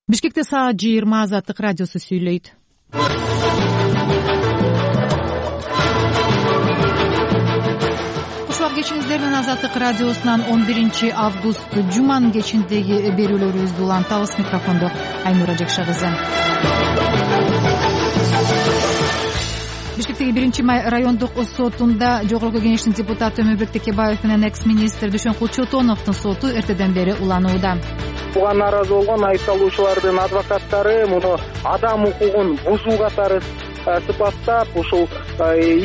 Бишкекте саат 20 Азаттык радиосу сүйлөйт. Кушубак кечиңиздер менен Азаттык радиосунан 11 август жуманын кечиндеги берүүлөрүбүздү улантабыз. Микрофондо Айнура Жекшагызы. Бишкектеги 1-май райондук сотунда Жогорку Кеңештин депутаты Өмүрбек Текебаев менен экс-министр Дүйшөнкул Чотоновдун соту эртеден бери уланууда. Буга нааразы болгон айыпталуучулардын адвокаттары муну адам укугун бузуу катары сыпаттап, ушул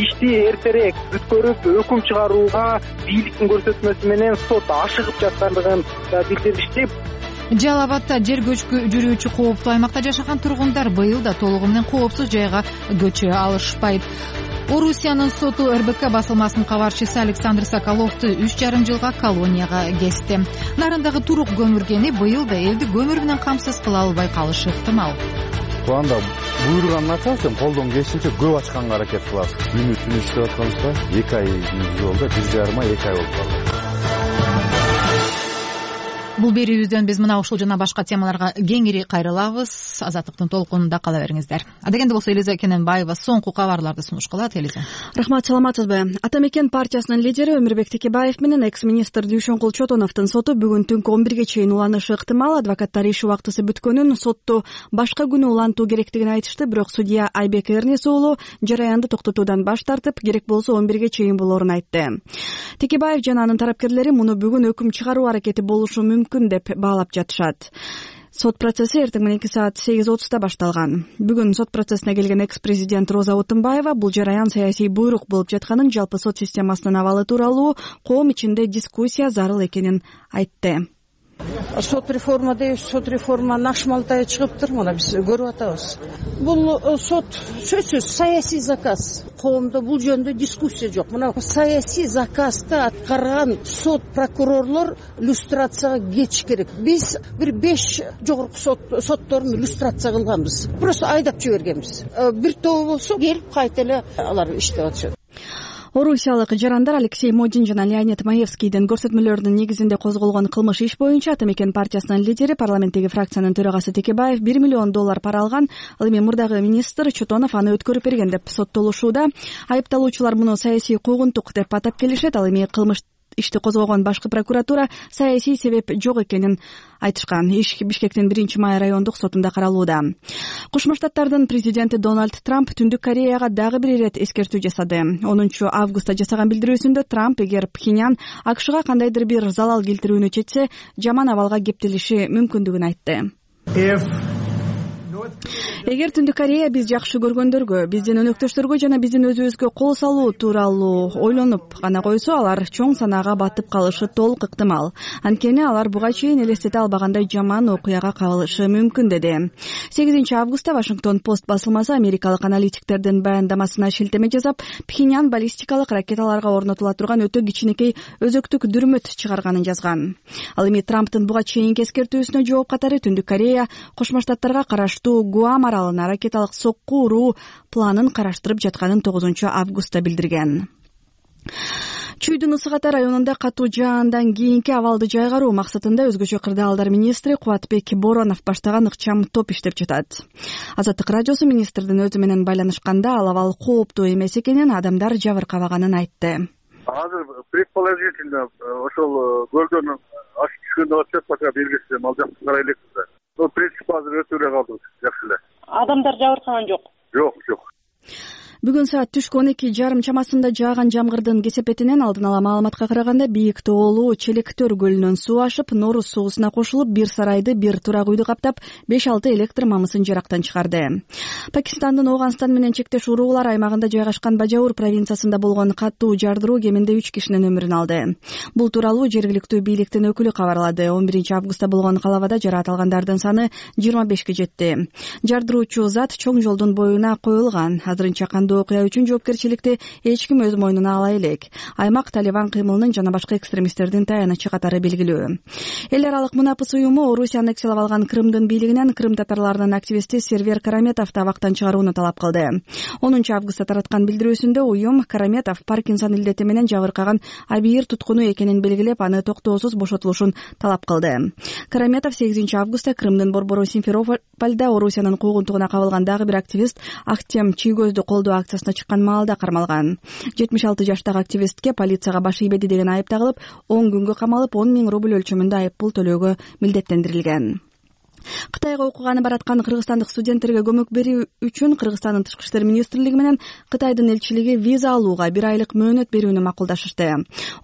ишти эртерээк бүткөрүп өкүм чыгарууга бийликтин көрсөтмөсү менен сот ашыгып жаткандыгын билдиришти. Жалал Абадда жер көчкү жүрүүчү кооптуу аймакта жашаган тургундар быйыл да толугу менен коопсуз жайга көчө алышпайт. Орусиянын соту РБК басылмасынын кабарчысы Александр Соколовду 3,5 жылга колонияга кести. Нарындагы турук көмүргени быйыл да элди көмүр менен камсыз кыла албай калышы ыктымал. Анда буйруганын ачабыз, колдон келишинче көп ачканга аракет кылабыз. Түнү иштеп атканыбызда 2 ай жолдо 1,5 ай 2 ай болуп калды. Бул берүүбүздөн биз мына ушул жана башка темаларга кеңири кайрылабыз. Азаттыктын толкунунда кала бериңиздер. Адегенде болсо Элиза Кененбаева соңку кабарларды сунуш кылат. Элиза. Рахмат, саламатсызбы? Ата мекен партиясынын лидери Өмүрбек Текебаев менен экс-министр Дүйшөнкул Чотоновдун соту бүгүн түнкү 11ге чейин уланышы ыктымал. Адвокаттар иш убактысы бүткөнүн, сотту башка күнү улантуу керектигин айтышты, бирок судья Айбек Эрнис уулу жараянды токтотуудан баш тартып, керек болсо 11ге чейин болоорун айтты. Текебаев жана анын тарапкерлери муну бүгүн өкүм чыгаруу аракети болушу мүмкүн деп баалап жатышат. Сот процесси эртең мененки саат 8:30 башталган. Бүгүн сот процессине келген экс-президент Роза Отунбаева бул жараян саясий буйрук болуп жатканын, жалпы сот системасынын абалы тууралуу коом ичинде дискуссия зарыл экенин айтты. Сот реформа дейбиз, сот реформанын ашмалтайы чыгыптыр, мына биз көрүп атабыз. Бул сот сөзсүз саясий заказ. Коомдо бул жөнүндө дискуссия жок. Мына саясий заказды аткарган сот прокурорлор люстрацияга кетиш керек. Биз бир 5 жогорку сотторун люстрация кылганбыз. Просто айдап жибергенбиз. Бир тобу болсо келип кайта эле алар иштеп атышат. Орусиялык жарандар Алексей Модин жана Леонид Маевскийдин көрсөтмөлөрүнүн негизинде козголгон кылмыш иш боюнча Ата мекен партиясынын лидери, парламенттеги фракциянын төрагасы Текебаев $1 миллион пара алган. Ал эми мурдагы министр Чотонов аны өткөрүп берген деп соттолушууда. Айыпталуучулар муну саясий куугунтук деп атап келишет. Ал эми кылмыш ишти козгогон башкы прокуратура саясий себеп жок экенин айтышкан. Иш Бишкектин 1-май райондук сотунда каралууда. Кошмо Штаттардын президенти Дональд Трамп Түндүк Кореяга дагы бир ирет эскертүү жасады. 10 августта жасаган билдирүүсүндө Трамп эгер Пхеньян АКШга кандайдыр бир залал келтирүүнү чечсе, жаман абалга кептелиши мүмкүндүгүн айтты. Эгер Түндүк Корея биз жакшы көргөндөргө, биздин өнөктөштөргө жана биздин өзүбүзгө кол салуу тууралуу ойлонуп гана койсо, алар чоң санаага батып калышы толук ыктымал. Анткени алар буга чейин элестете албагандай жаман окуяга кабылышы мүмкүн, деди. 8 августта Вашингтон Пост басылмасы америкалык аналитиктердин баяндамасына шилтеме жасап, Пхеньян баллистикалык ракеталарга орнотула турган өтө кичинекей өзөктүк дүрмөт чыгарганын жазган. Ал эми Трамптын буга чейинки эскертүүсүнө жооп катары Түндүк Корея Кошмо Штаттарга караштуу Гуам аралына ракеталык сокку уруу планын караштырып жатканын 9 августта билдирген. Чүйдүн Ысык Ата районунда катуу жаандан кийинки абалды жайгаруу максатында өзгөчө кырдаалдар министри Кубатбек Боронов баштаган ыкчам топ иштеп жатат. Азаттык радиосу министрдин өзү менен байланышканда ал абал кооптуу эмес экенин, адамдар жабыркабаганын айтты. Азыр предположительно ошол көлдөн ашып түшкөндө атышат, пока белгисиз, ал жакты карай элекпиз да. Но принцип азыр өтө эле калды, жакшы эле. Адамдар жабыркаган жок? Жок. Бүгүн саат түшкү 12:30 чамасында жааган жамгырдын кесепетинен алдын ала маалыматка караганда Бийик тоолуу Челектөр көлүнөн суу ашып, Норус суусуна кошулуп, бир сарайды, бир турак үйдү каптап, 5-6 электр мамысын жарактан чыгарды. Пакистандын Ооганстан менен чектеш уруулар аймагында жайгашкан Бажаур провинциясында болгон катуу жардыруу кеминде 3 кишинин өмүрүн алды. Бул тууралуу жергиликтүү бийликтин өкүлү кабарлады. 11 августта болгон калабада жараат алгандардын саны 25ке жетти. Жардыруучу зат чоң жолдун боюна коюлган. Азырынча кандуу болгондо окуя үчүн жоопкерчиликти эч ким өз мойнуна ала элек. Аймак Талибан кыймылынын жана башка экстремисттердин таянычы катары белгилүү. Эл аралык мунапыс уюму Орусия аннексиялап алган Крымдын бийлигинен крым татарларынын активисти Сервер Караметовду абактан чыгарууну талап кылды. 10 августта тараткан билдирүүсүндө уюм Караметов Паркинсон илдети менен жабыркаган абийир туткуну экенин белгилеп, аны токтоосуз бошотулушун талап кылды. Караметов 8 августта Крымдын борбору Симферопольдо Орусиянын куугунтугуна кабылган дагы бир активист Актем Чийгөздү колдоо акциясына чыккан маалда кармалган. 76 жаштагы активистке полицияга баш ийбеди деген айып тагылып, 10 күнгө камалып, 10 000 рубль өлчөмүндө айып пул төлөөгө милдеттендирилген. Кытайга окууганы бараткан кыргызстандык студенттерге көмөк берүү үчүн Кыргызстандын Тышкы иштер министрлиги менен Кытайдын элчилиги виза алууга 1 айлык мөөнөт берүүнү макулдашышты.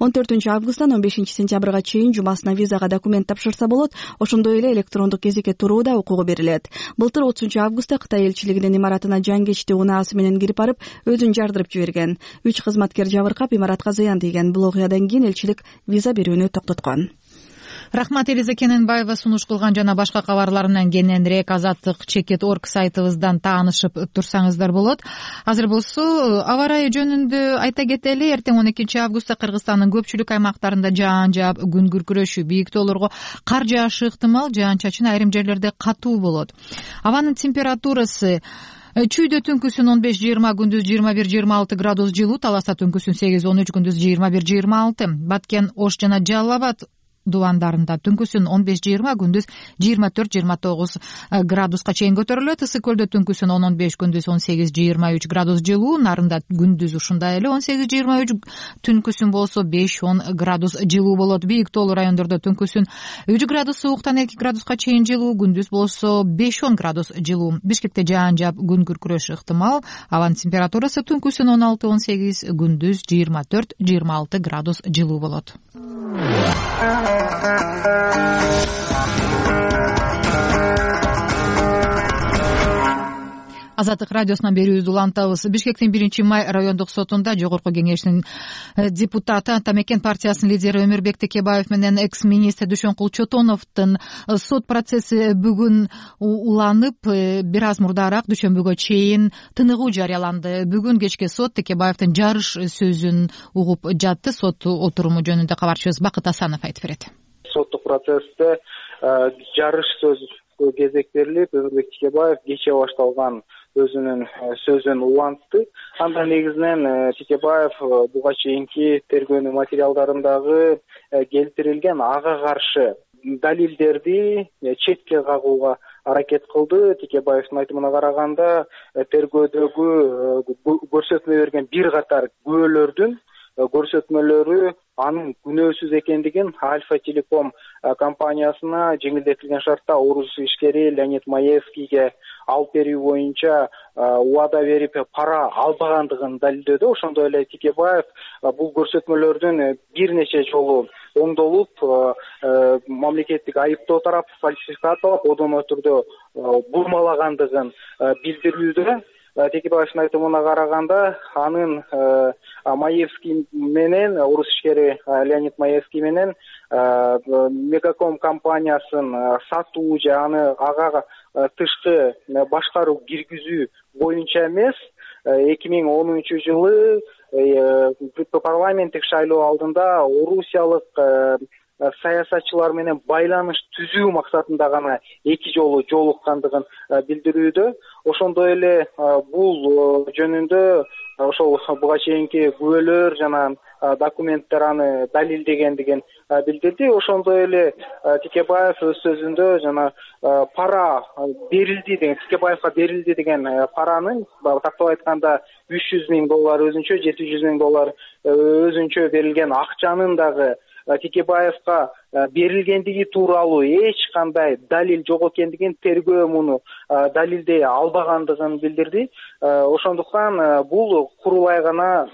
14 августтан 15 сентябрга чейин жумасына визага документ тапшырса болот, ошондой эле электрондук кезекке турууда укугу берилет. Былтыр 30 августта Кытай элчилигинин имаратына жангечти унаасы менен кирип барып, өзүн жардырып жиберген. 3 кызматкер жабыркап, имаратка зыян тийген. Бул окуядан кийин элчилик виза берүүнү токтоткон. Рахмат, Элиза Кененбаева сунуш кылган жана башка кабарларынан кененирээк Азаттык.чекит.орг сайтыбыздан таанышып турсаңыздар болот. Азыр болсо аба ырайы жөнүндө айта кетели. Эртең 12 августта Кыргызстандын көпчүлүк аймактарында жаан жаап, күн күркүрөшү, бийик тоолорго кар жаашы ыктымал, жаан-чачын айрым жерлерде катуу болот. Абанын температурасы Чүйдө түнкүсүн 15-20, күндүз 21-26 градус жылуу, Таласта түнкүсүн 8-13, күндүз 21-26, Баткен, Ош жана Жалал Абад дубандарында түнкүсүн 15-20, күндүз 24-29 градуска чейин көтөрүлөт. Ысык көлдө түнкүсүн 10-15, күндүз 18-23 градус жылуу, Нарында күндүз ушундай эле 18-23, түнкүсүн болсо 5-10 градус жылуу болот. Бийик тоолуу райондордо түнкүсүн 3 градус сууктан 2 градуска чейин жылуу, күндүз болсо 5-10 градус жылуу. Бишкекте жаан жаап, күн күркүрөшү ыктымал. Абанын температурасы түнкүсүн 16-18, күндүз 24-26 градус жылуу болот. Азаттык радиосунан берүүбүздү улантабыз. Бишкектин 1-май райондук сотунда Жогорку кеңештин депутаты, Атамекен партиясынын лидери Өмүрбек Текебаев менен экс-министр Дүйшөнкул Чотоновдун сот процесси бүгүн уланып, бир аз мурдараак дүйшөмбүгө чейин тыныгуу жарыяланды. Бүгүн кечке сот Текебаевдин жарыш сөзүн угуп жатты. Сот отуруму жөнүндө кабарчыбыз Бакыт Асанов айтып берет. Соттук процессте жарыш сөз кезек берилип, Өмүрбек Текебаев кечээ башталган өзүнүн сөзүн улантты. Анда негизинен Текебаев буга чейинки тергөөнүн материалдарындагы келтирилген ага каршы далилдерди четке кагууга аракет кылды. Текебаевдин айтымына караганда, тергөөдөгү көрсөтмө берген бир катар күбөлөрдүн көрсөтмөлөрү анын күнөөсүз экендигин, Альфа Телеком компаниясына жеңилдетилген шартта орус ишкери Леонид Маевскийге алып берүү боюнча убада берип пара албагандыгын далилдөөдө. Ошондой эле Текебаев бул көрсөтмөлөрдүн бир нече жолу оңдолуп, мамлекеттик айыптоо тарап фальсификатталып, одоно түрдө бурмалагандыгын билдирүүдө. Текебаевдин айтымына караганда, анын Маевский менен, орус ишкери Леонид Маевский менен Мегаком компаниясын сатуу же ага тышкы башкаруу киргизүү боюнча эмес, 2010 жылы парламенттик шайлоо алдында орусиялык саясатчылар менен байланыш түзүү максатында гана 2 жолу жолуккандыгын билдирүүдө. Ошондой эле бул жөнүндө ошол буга чейинки күбөлөр жана документтер аны далилдегендигин билдирди. Ошондой эле Текебаев өз сөзүндө жана пара берилди деген, Текебаевга берилди деген паранын, тактап айтканда $300,000 өзүнчө, $700,000 өзүнчө берилген акчанын дагы Текебаевга берилгендиги тууралуу эч кандай далил жок экендигин, тергөө муну далилдей албагандыгын билдирди. Ошондуктан бул курулай гана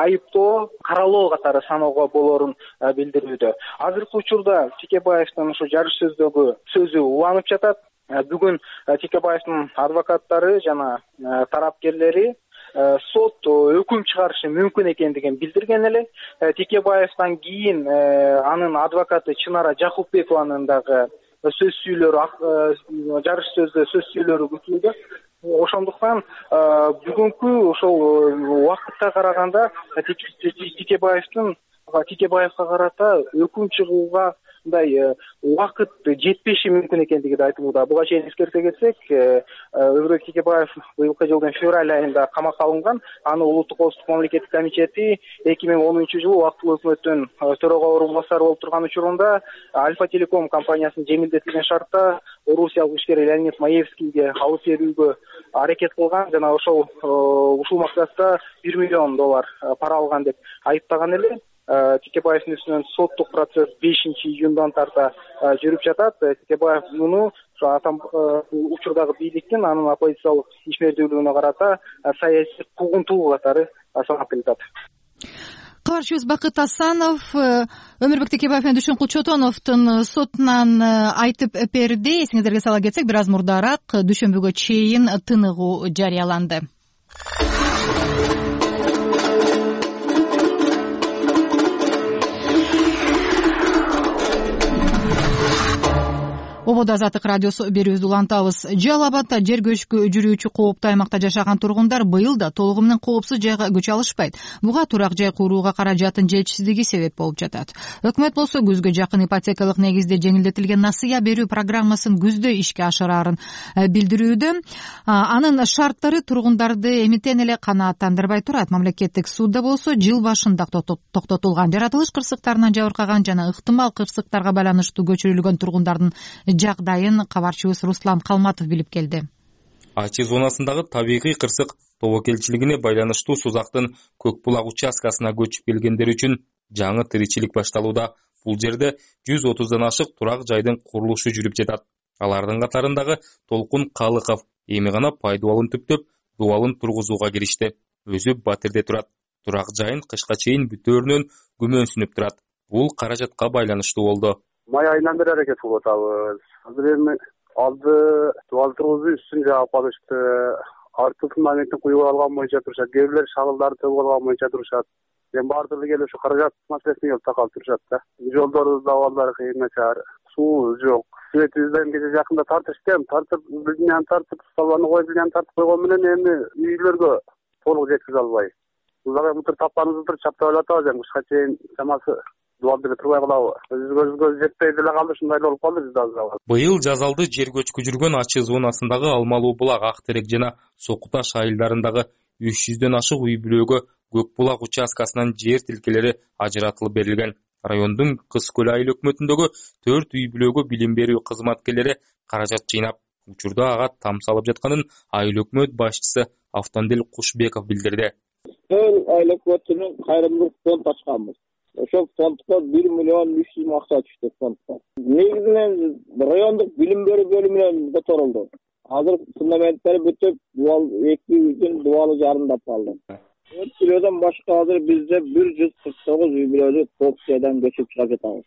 айыптоо, каралоо катары саноого болорун билдирүүдө. Азыркы учурда Текебаевдин ушу жарыш сөздөгү сөзү уланып жатат. Бүгүн Текебаевдин адвокаттары жана тарапкерлери сот өкүм чыгарышы мүмкүн экендигин билдирген эле. Текебаевден кийин анын адвокаты Чынара Жакупбекованын дагы сөз сүйлөрү, жарыш сөздө сөз сүйлөрү күтүлүүдө. Ошондуктан бүгүнкү ошол убакытка караганда Текебаевга карата өкүм чыгууга мындай убакыт жетпеши мүмкүн экендиги айтылууда. Буга чейин эскерте кетсек, Өмүрбек Текебаев быйылкы жылдын февраль айында камакка алынган. Аны Улуттук коопсуздук мамлекеттик комитети 2010 жылы убактылуу өкмөттүн төрага орун басары болуп турган учурунда Альфа Телеком компаниясынын жеңилдетилген шартта орусиялык ишкер Леонид Маевскийге алып берүүгө аракет кылган жана ушул максатта $1 миллион пара алган деп айыптаган эле. Текебаевдин үстүнөн соттук процесс 5-июндан тарта жүрүп жатат. Текебаев муну учурдагы бийликтин анын оппозициялык ишмердүүлүгүнө карата саясий куугунтуу катары санап келатат. Кабарчыбыз Бакыт Асанов Өмүрбек Текебаев менен Дүшүн Кулчотоновдун сотунан айтып берди. Эсиңиздерге сала кетсек, бир аз мурдараак дүйшөмбүгө чейин тыныгуу жарыяланды. Ободо Азаттык радиосу берүүбүздү улантабыз. Жалал Абадда жер көчкү жүрүүчү кооптуу аймакта жашаган тургундар быйыл да толугу менен коопсуз жайга көчө алышпайт. Буга турак жай курууга каражаттын жетишсиздиги себеп болуп жатат. Өкмөт болсо күзгө жакын ипотекалык негизде жеңилдетилген насыя берүү программасын күздө ишке ашырарын билдирүүдө. Анын шарттары тургундарды эмитен эле канааттандырбай турат. Мамлекеттик судда болсо жыл башында токтотулган. Жаратылыш кырсыктарынан жабыркаган жана ыктымал кырсыктарга байланыштуу көчүрүлгөн тургундардын жагдайын кабарчыбыз Руслан Калматов билип келди. Ачы зонасындагы табигый кырсык тобокелчилигине байланыштуу Сузактын Көк булак участкасына көчүп келгендер үчүн жаңы тиричилик башталууда. Бул жерде 130дан ашык турак жайдын курулушу жүрүп жатат. Алардын катарындагы Толкун Калыков эми гана пайдубалын түптөп, дубалын тургузууга киришти. Өзү Батирде турат. Турак жайын кышка чейин бүтөөрүнөн күмөнсүнүп турат. Бул каражатка байланыштуу болду. Май айынан бери аракет кылып атабыз. Азыр эми алды дубал тургузуу үстүн жаап алышты. Артын моментин куюп алган боюнча турушат. Кээ бирлер шагылдарды төгүп алган боюнча турушат. Эми баардыгы келип ушу каражат маселесине келип такалып турушат да. Жолдорубуз да абалдары кыйын начар. Суубуз жок. Светибизден кече жакында тартыштым. Билдинен тартып, салбаны коюп билдинен тартып койгон менен эми үйлөргө толук жеткизе албай. Бул дагы мутур тапканыбызды чаптап атабыз. Эми кышка чейин чамасы дуалды турбай калабы. Өзгө жетпей деле калды, ушундай болуп калды бизде азыр. Быйыл жазалды жер көчкү жүргөн Ачы зонасындагы Алмалуу булак, Ак терек жана Соку Таш айылдарындагы 300дөн ашык үй бүлөгө Көк булак участкасынан жер тилкелери ажыратылып берилген. Райондун Кыз Көл айыл өкмөтүндөгү 4 үй бүлөгө билим берүү кызматкерлери каражат жыйнап, учурда ага там салып жатканын айыл өкмөт башчысы Автандел Кушбеков билдирди. Айыл өкмөтүнүн кайрымдуулук фонд ачканбыз. Ошол фондко 1 миллион 300 миң акча түштү фондко. Негизинен райондук билим берүү бөлүмүнөн которулду. Азыр фундаменттери бүтүп, дубал 2 үйдүн дубалы жарымдап калды. 4 бүлөдөн башка азыр бизде 149 үй бүлөлүк коопсиядан көчүп чыгып жатабыз.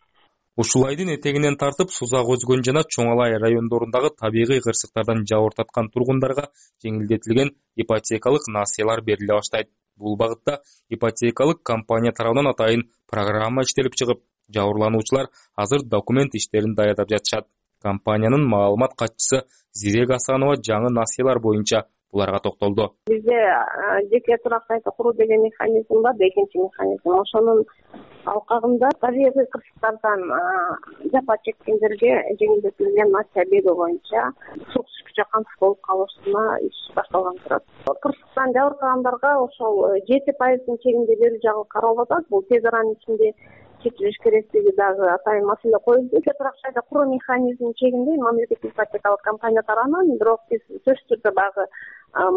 Ушул айдын этегинен тартып Сузак Өзгөн жана Чоңалай райондорундагы табигый кырсыктардан жабыртаткан тургундарга жеңилдетилген ипотекалык насыялар бериле баштайт. Бул багытта ипотекалык компания тарабынан атайын программа иштелип чыгып, жабырлануучулар азыр документ иштерин даярдап жатышат. Компаниянын маалымат катчысы Зирек Асанова жаңы насыялар боюнча буларга токтолду. Бизде жеке турак сайты куруу деген механизм бар, экинчи механизм. Ошонун алкагында табигый кырсыктардан жапа чеккендерге жеңилдетилген насыя берүү боюнча суу жакын болуп калышына иш башталган турат. Кырсыктан жабыркагандарга ошол 7% чегинде берүү жагы каралып атат. Бул тез аранын ичинде чечилиш керектиги дагы атайын маселе коюлду. Турак жайда куруу механизмин чегинде мамлекеттик ипотекалык компания тарабынан, бирок биз сөзсүз түрдө дагы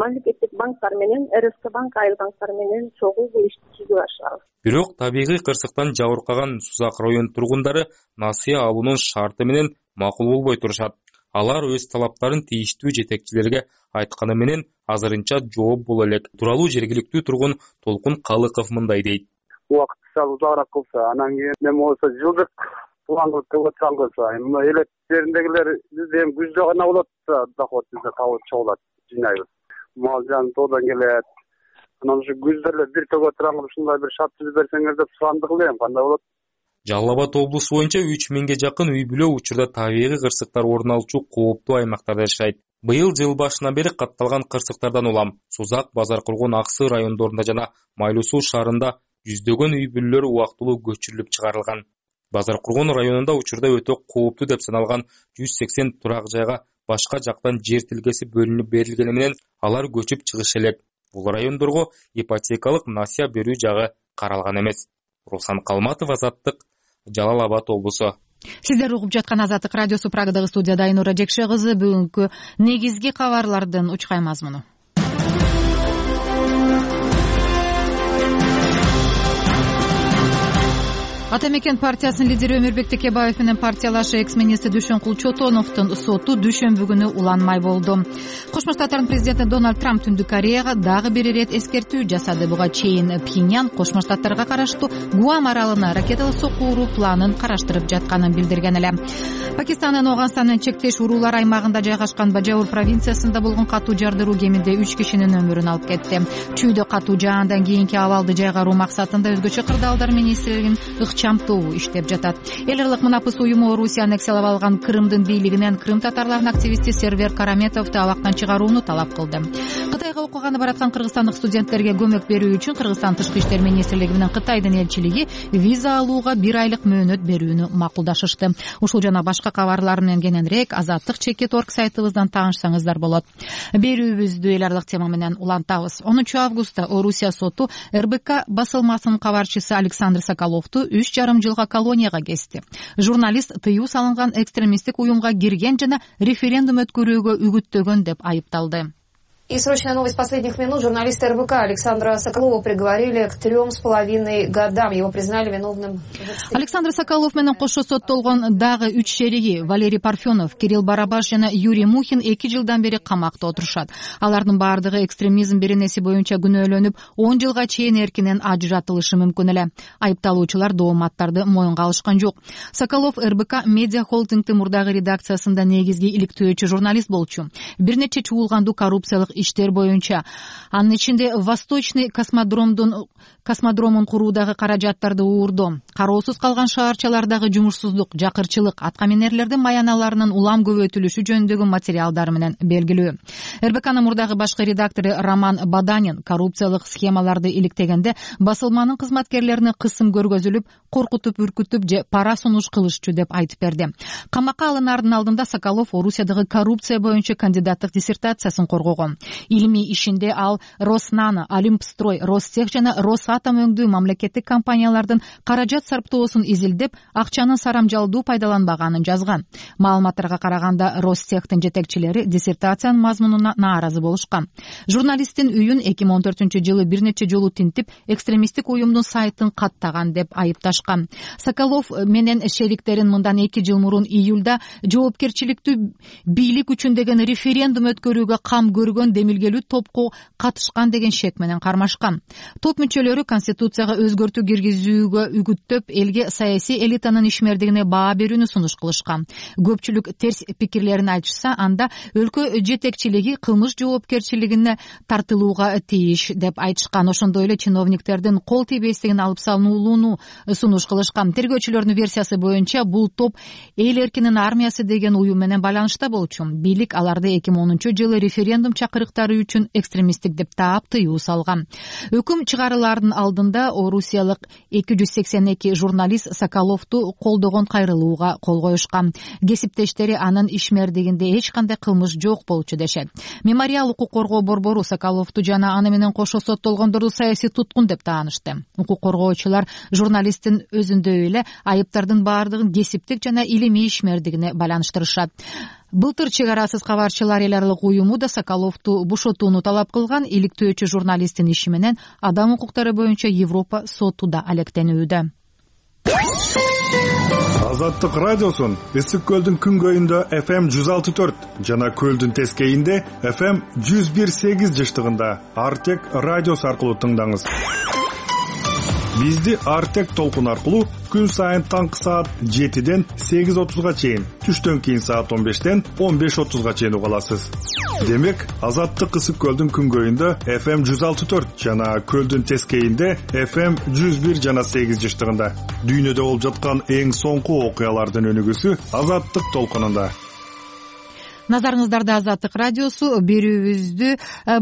мамлекеттик банктар менен, РСК банк, айыл банктары менен чогуу бул ишти түзүп ашабыз. Бирок табигый кырсыктан жабыркаган Сузак район тургундары насыя алуунун шарты менен макул болбой турушат. Алар өз талаптарын тийиштүү жетекчилерге айтканы менен азырынча жооп боло элек. Тууралуу жергиликтүү тургун Толкун Калыков мындай дейт. Убакытча узагыраак кылса, анан кийин эме болсо жылдык план кылып чыгылса, эми элек жериндегилер бизде эми күздө гана болот да, доход бизде табылып чыгылат, жыйнайбыз. Мал жан тоодан келет. Анан ушу күздө эле бир төгө турган ушундай бир шарт түзүп берсеңер деп сурандык элем, кандай болот? Жалал Абад облусу боюнча 3000ге жакын үй бүлө учурда табигый кырсыктар орун алуучу кооптуу аймактарда жашайт. Быйыл жыл башынан бери катталган кырсыктардан улам Сузак, Базаркулгун, Аксы райондорунда жана Майлуу Суу шаарында жүздөгөн үй бүлөлөр убактылуу көчүрүлүп чыгарылган. Базаркулгун районунда учурда өтө кооптуу деп саналган 180 турак жайга башка жактан жер тилкеси бөлүнүп берилгени менен алар көчүп чыгышы элек. Бул райондорго ипотекалык насыя берүү жагы каралган эмес. Руслан Калматов, Азаттык, Жалал Абад облусу. Сиздер угуп жаткан Азаттык радиосу. Прагадагы студияда Айнура Жекше кызы. Бүгүнкү негизги кабарлардын учкай мазмуну. Ата мекен партиясынын лидери Өмүрбек Текебаев менен партиялашы экс-министр Дүйшөнкул Чотоновдун соту дүйшөмбү күнү уланмай болду. Кошмо Штаттардын президенти Дональд Трамп Түндүк Кореяга дагы бир ирет эскертүү жасады. Буга чейин Пхеньян Кошмо Штаттарга караштуу Гуам аралына ракеталык сокку уруу планын караштырып жатканын билдирген эле. Пакистандын Афганистан менен чектеш уруулар аймагында жайгашкан Бажаур провинциясында болгон катуу жардыруу кеминде 3 кишинин өмүрүн алып кетти. Чүйдө катуу жаандан кийинки абалды жайгаруу максатында өзгөчө кырдаалдар министрлигинин ыкчамдуу иштеп жатат. Эл аралык мунапыс уюму Орусия аннексиялап алган Крымдын бийлигинен крым татарларынын активисти Сервер Караметовду абактан чыгарууну талап кылды. Кытайга окуганы бараткан кыргызстандык студенттерге көмөк берүү үчүн Кыргызстан Тышкы иштер министрлиги менен Кытайдын элчилиги виза алууга 1 айлык мөөнөт берүүнү макулдашышты. Ушул жана башка кабарлар менен кененирээк Азаттык.org сайтыбыздан таанышсаңыздар болот. Берүүбүздү эл аралык тема менен улантабыз. 10 августта Орусия соту РБК басылмасынын кабарчысы Александр Соколовду 3,5 жылга колонияга кести. Журналист тыюу салынган экстремисттик уюмга кирген жана референдум өткөрүүгө үгүттөгөн деп айыпталды. И срочная новость последних минут. Журналиста РБК Александра Соколова приговорили к 3,5 годам. Его признали виновным. Александр Соколов менен кошо соттолгон дагы 3 шериги Валерий Парфенов, Кирилл Барабаш жана Юрий Мухин 2 жылдан бери камакта отурушат. Алардын баардыгы экстремизм беренеси боюнча күнөөлөнүп, 10 жылга чейин эркинен ажыратылышы мүмкүн эле. Айыпталуучулар дооматтарды моюнга алышкан жок. Соколов РБК медиа холдингдин мурдагы редакциясында негизги иликтөөчү журналист болчу. Бир нече чуулгандуу коррупциялык иштер боюнча, анын ичинде Восточный космодромун куруудагы каражаттарды уурдоо, кароосуз калган шаарчалардагы жумушсуздук, жакырчылык, аткаминерлердин маяналарынын улам көбөйтүлүшү жөнүндөгү материалдар менен белгилүү. РБКнын мурдагы башкы редактору Роман Баданин коррупциялык схемаларды иликтегенде басылманын кызматкерлерине кысым көргөзүлүп, коркутуп, үркүтүп же пара сунуш кылышчу деп айтып берди. Камакка алынаардын алдында Соколов Орусиядагы коррупция боюнча кандидаттык диссертациясын коргогон. Илимий ишинде ал Роснано, Олимпстрой, Ростех жана Росатом өңдүү мамлекеттик компаниялардын каражат сарптоосун изилдеп, акчанын сарамжалдуу пайдаланбаганын жазган. Маалыматтарга караганда Ростехтин жетекчилери диссертациянын мазмунуна нааразы болушкан. Журналисттин үйүн 2014-жылы бир нече жолу тинтип, экстремисттик уюмдун сайтын каттаган деп айыпташкан. Соколов менен шериктерин мындан 2 жыл мурун июлда жоопкерчиликтүү бийлик үчүн деген референдум өткөрүүгө кам көргөн демилгелүү топко катышкан деген шек менен кармашкан. Топ мүчөлөрү конституцияга өзгөртүү киргизүүгө үгүттөп, элге саясий элитанын ишмердигине баа берүүнү сунуш кылышкан. Көпчүлүк терс пикирлерин айтышса, анда өлкө жетекчилиги кылмыш жоопкерчилигине тартылууга тийиш деп айтышкан. Ошондой эле чиновниктердин кол тийбестигин алып салынуулууну сунуш кылышкан. Тергөөчүлөрдүн версиясы боюнча бул топ эл эркинин армиясы деген уюм менен байланышта болчу. Бийлик аларды 2010-жылы референдум чакырыктары үчүн экстремисттик деп таап тыюу салган. Өкүм чыгарылаардын алдында орусиялык 282 журналист Соколовду колдогон кайрылууга кол коюшкан. Кесиптештери анын ишмердигинде эч кандай кылмыш жок болчу дешет. Мемориал укук коргоо борбору Соколовду жана аны менен кошо соттолгондорду саясий туткун деп таанышты. Укук коргоочулар журналисттин өзүндөй эле айыптардын баардыгын кесиптик жана илимий ишмердигине байланыштырышат. Былтыр чек арасыз кабарчылар эл аралык уюму да Соколовду бошотууну талап кылган. Иликтөөчү журналисттин иши менен адам укуктары боюнча Европа соту да алектенүүдө. Азаттык радиосун Ысык көлдүн күнгөйүндө FM 106.4 жана көлдүн тескейинде FM 101.8 жыштыгында Артек радиосу аркылуу тыңдаңыз. Бизди Артек толкун аркылуу күн сайын таңкы саат 7ден 8:30га чейин, түштөн кийин саат 15ден 15:30га чейин уга аласыз. Демек, Азаттык Ысык көлдүн күнгөйүндө FM 106.4 жана көлдүн тескейинде FM 101 жана 8 жыштыгында. Дүйнөдө болуп жаткан эң соңку окуялардын өнүгүүсү Азаттык толкунунда. Назарыңыздарда Азаттык радиосу. Берүүбүздү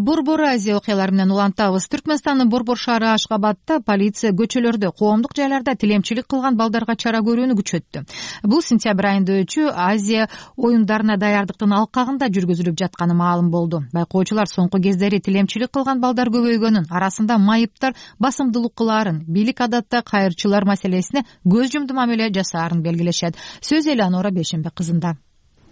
Борбор Азия окуялары менен улантабыз. Түркмөнстандын Борбор шаары Ашгабадта полиция көчөлөрдө, коомдук жайларда тилемчилик кылган балдарга чара көрүүнү күчөттү. Бул сентябрь айында өтчү Азия оюндарына даярдыктын алкагында жүргүзүлүп жатканы маалым болду. Байкоочулар соңку кездери тилемчилик кылган балдар көбөйгөнүн, арасында майыптар басымдуулук кылаарын, бийлик адатта кайырчылар маселесине көз жумду мамиле жасаарын белгилешет. Сөз Элеонора Бейшенбек кызында.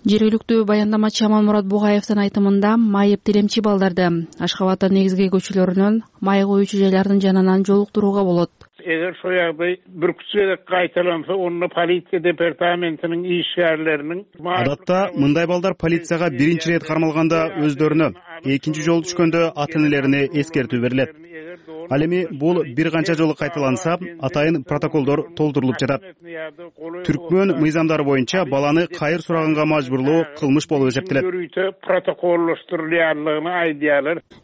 Жергиликтүү баяндамачы Аманмурат Бугаевдин айтымында майып тилемчи балдарды Ашгабадтын негизги көчөлөрүнөн май коюучу жайлардын жанынан жолуктурууга болот. Eğer soyagday bir küçüğe kaytalansa onu politsiya departamentinin işgärlerinin Адатта мындай балдар полицияга биринчи рет кармалганда өздөрүнө, экинчи жолу түшкөндө ата-энелерине эскертүү берилет. Ал эми бул бир канча жолу кайталанса, атайын протоколдор толтурулуп жатат. Түркмөн мыйзамдары боюнча баланы кайыр сураганга мажбурлоо кылмыш болуп эсептелет.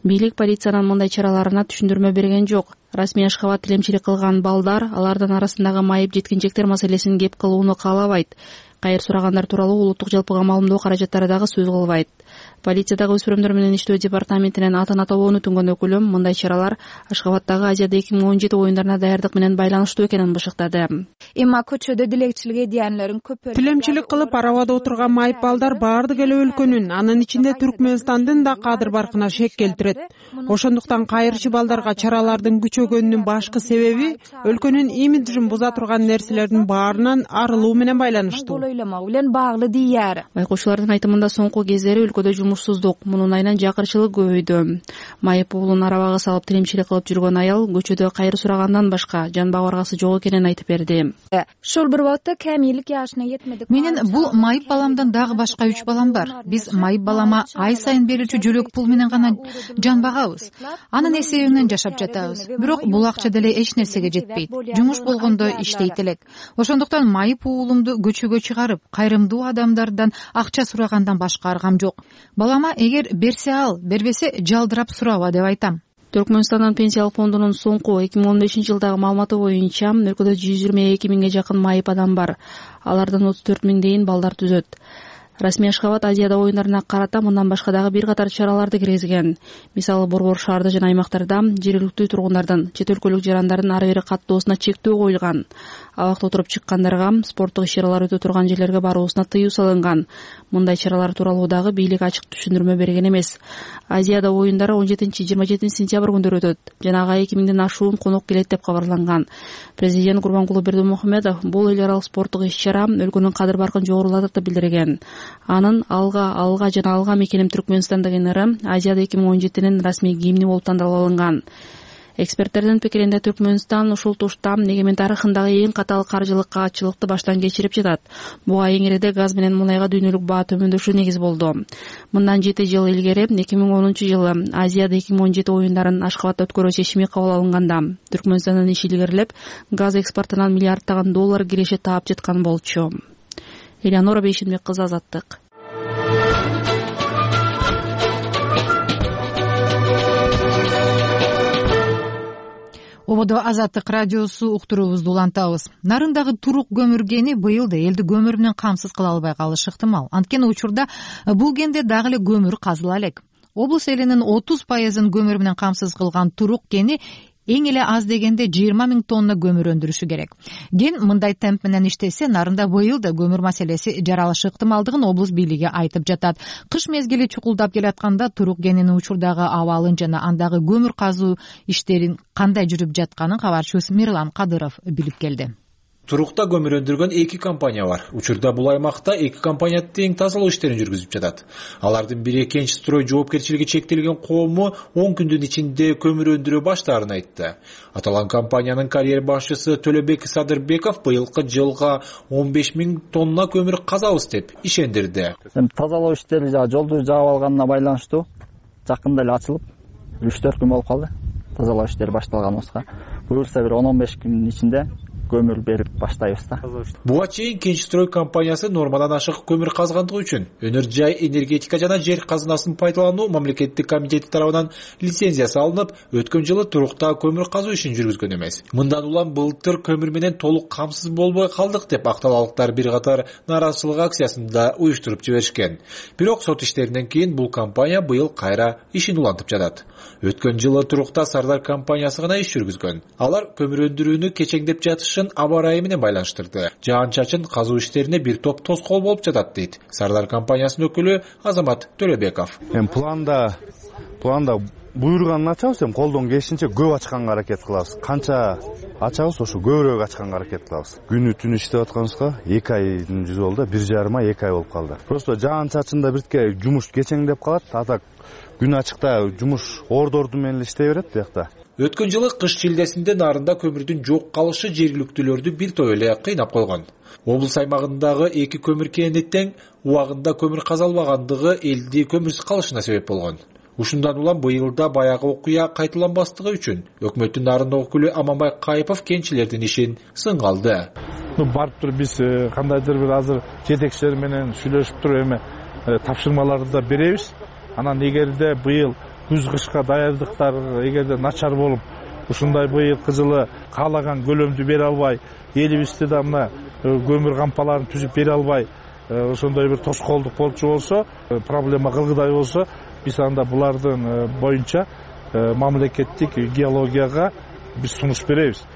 Бийлик полициянын мындай чараларына түшүндүрмө берген жок. Расмий Ашгабад тилемчилик кылган балдар алардын арасындагы майып жеткинчектер маселесин кеп кылууну каалабайт. Кайыр сурагандар тууралуу улуттук жалпыга маалымдоо каражаттары дагы сөз кылбайт. Полициядагы өспүрүмдөр менен иштөө департаментинин атын атообону түнгөн өкүлү мындай чаралар Ашгабадтагы Азияда 2017 оюндарына даярдык менен байланыштуу экенин бышыктады. Эми көчөдө тилемчилик эдиянларын көп тилемчилик кылып арабада отурган майып балдар баардык эле өлкөнүн, анын ичинде Түркмөнстандын да кадыр баркына шек келтирет. Ошондуктан кайырчы балдарга чаралардын күчөгөнүнүн башкы себеби өлкөнүн имиджин буза турган нерселердин баарынан арылуу менен байланыштуу. Байкоочулардын айтымында соңку кездери өлкөдө жумушсуздук, мунун айынан жакырчылык көбөйдү. Майып уулун арабага салып тилемчилик кылып жүргөн аял көчөдө кайыр сурагандан башка жан багаргысы жок экенин айтып берди. Ошол бир убакта кемилик жашына жетмедик. Менин бул майып баламдан дагы башка 3 балам бар. Биз майып балама ай сайын берилчү жөлөк пул менен гана жан багабыз. Анын эсебинен жашап жатабыз. Бирок бул акча деле эч нерсеге жетпейт. Жумуш болгондо иштейт элек. Ошондуктан майып уулумду көчөгө чыгарып, кайрымдуу адамдардан акча сурагандан башка аргам жок. Балама эгер берсе ал, бербесе жалдырап сураба деп айтам. Түркмөнстандын пенсиялык фондунун соңку 2015-жылдагы маалыматы боюнча өлкөдө 122 миңге жакын майып адам бар. Алардан 34 миңдейин балдар түзөт. Расмий Ашгабад Азияда оюндарына карата мындан башка дагы бир катар чараларды киргизген. Мисалы борбор шаарда жана аймактарда жергиликтүү тургундардын, чет өлкөлүк жарандардын ары бери каттоосуна чектөө коюлган. Абакта отуруп чыккандарга, спорттук иш-чаралар өтө турган жерлерге баруусуна тыюу салынган. Мындай чаралар тууралуу дагы бийлик ачык түшүндүрмө берген эмес. Азияда оюндары 17-27 сентябрь күндөрү өтөт. Жанагы 2000ден ашуун конок келет деп кабарланган. Президент Курбанкулу Бердимухамедов бул эл аралык спорттук иш-чара өлкөнүн кадыр баркын жогорулатат деп билдирген. Анын алга жана алга мекеним Түркмөнстандагы Азияда 2017-нин расмий гимни болуп тандалып алынган. Эксперттердин пикиринде Түркмөнстан ушул тушта эгемен тарыхындагы эң катаал каржылык каатчылыкты баштан кечирип жатат. Буга эңиреде газ менен мунайга дүйнөлүк баа төмөндөшү негиз болду. Мындан 7 жыл илгери 2010-жылы Азияда 2017 оюндарын Ашгабадта өткөрүү чечими кабыл алынганда Түркмөнстандын иши илгерилеп, газ экспортунан миллиарддаган доллар киреше таап жаткан болчу. Элеонора Бейшенбек кызы, Азаттык. Ободо Азаттык радиосу уктуруубузду улантабыз. Нарындагы турук көмүр кени быйыл да элди көмүр менен камсыз кыла албай калышы ыктымал. Анткени учурда бул кенде дагы эле көмүр казыла элек. Облус элинин 30% көмүр менен камсыз кылган турук кени эң эле аз дегенде 20 000 тонна көмүр өндүрүшү керек. Ген мындай темп менен иштесе, нарында быйыл да көмүр маселеси жаралышы ыктымалдыгын облус бийлиги айтып жатат. Кыш мезгили чукулдап келатканда турук кенинин учурдагы абалын жана андагы көмүр казуу иштерин кандай жүрүп жатканын кабарчыбыз Мирлан Кадыров билип келди. Турукта көмүр өндүргөн 2 компания бар. Учурда бул аймакта 2 компания тең тазалоо иштерин жүргүзүп жатат. Алардын бири Кенч строй жоопкерчилиги чектелген коому 10 күндүн ичинде көмүр өндүрө баштаарын айтты. Аталган компаниянын карьер башчысы Төлөбек Садырбеков быйылкы жылга 15 000 тонна көмүр казабыз деп ишендирди. Тазалоо иштери жолду жаап алганына байланыштуу жакында эле ачылып 3-4 күн болуп калды. Тазалоо иштери башталганыбызга. Буюрса бир 10-15 күндүн ичинде көмүр берип баштайбыз да. Буга чейин Кенч строй компаниясы нормадан ашык көмүр казгандыгы үчүн Өнөр жай энергетика жана жер казынасын пайдалануу мамлекеттик комитети тарабынан лицензиясы алынып, өткөн жылы турукта көмүр казуу ишин жүргүзгөн эмес. Мындан улам былтыр көмүр менен толук камсыз болбой калдык деп акталалыктар бир катар нааразычылык акциясында уюштуруп жиберишкен. Бирок сот иштеринен кийин бул компания быйыл кайра ишин улантып жатат. Өткөн жылы турукта Сардар компаниясы гана иш жүргүзгөн. Алар көмүр өндүрүүнү кечеңдеп жатышын аба ырайы менен байланыштырды. Жаан-чачын казуу иштерине бир топ тоскоол болуп жатат дейт Сардар компаниясынын өкүлү Азамат Төлөбеков. Планда буйруганын ачабыз, колдон келишинче көп ачканга аракет кылабыз. Канча ачабыз, ошо көбүрөөк ачканга аракет кылабыз. Күнү түнү иштеп атканыбызга 2 айдын жүзү болду, 1,5 ай 2 ай болуп калды. Просто жаан-чачында биртке жумуш кечеңдеп калат, атак күн ачыкта жумуш ордорду менен иштей берет биякта. Өткөн жылы кыш шилдесинде нарында көмүрдүн жок калышы жергиликтүүлөрдү бир топ эле кыйнап койгон. Облус аймагындагы 2 көмүр кенинде тең убагында көмүр казалбагандыгы элди көмүрсүз калышына себеп болгон. Ушундан улам быйылда баягы окуя кайталанбастыгы үчүн өкмөттүн нарындык өкүлү Аманбай Кайыпов кенчилердин ишин сынга алды. Барып туруп биз кандайдыр бир азыр жетекчилер менен сүйлөшүп туруп эме тапшырмаларды да беребиз. Анан эгерде быйыл күз кышка даярдыктар эгерде начар болуп, ушундай быйылкы жылы каалаган көлөмдү бере албай, элибизде да мына көмүр кампаларын түзүп бере албай, ошондой бир тоскоолдук болчу болсо, проблема кылгыдай болсо, биз анда булардын боюнча мамлекеттик геологияга биз сунуш беребиз.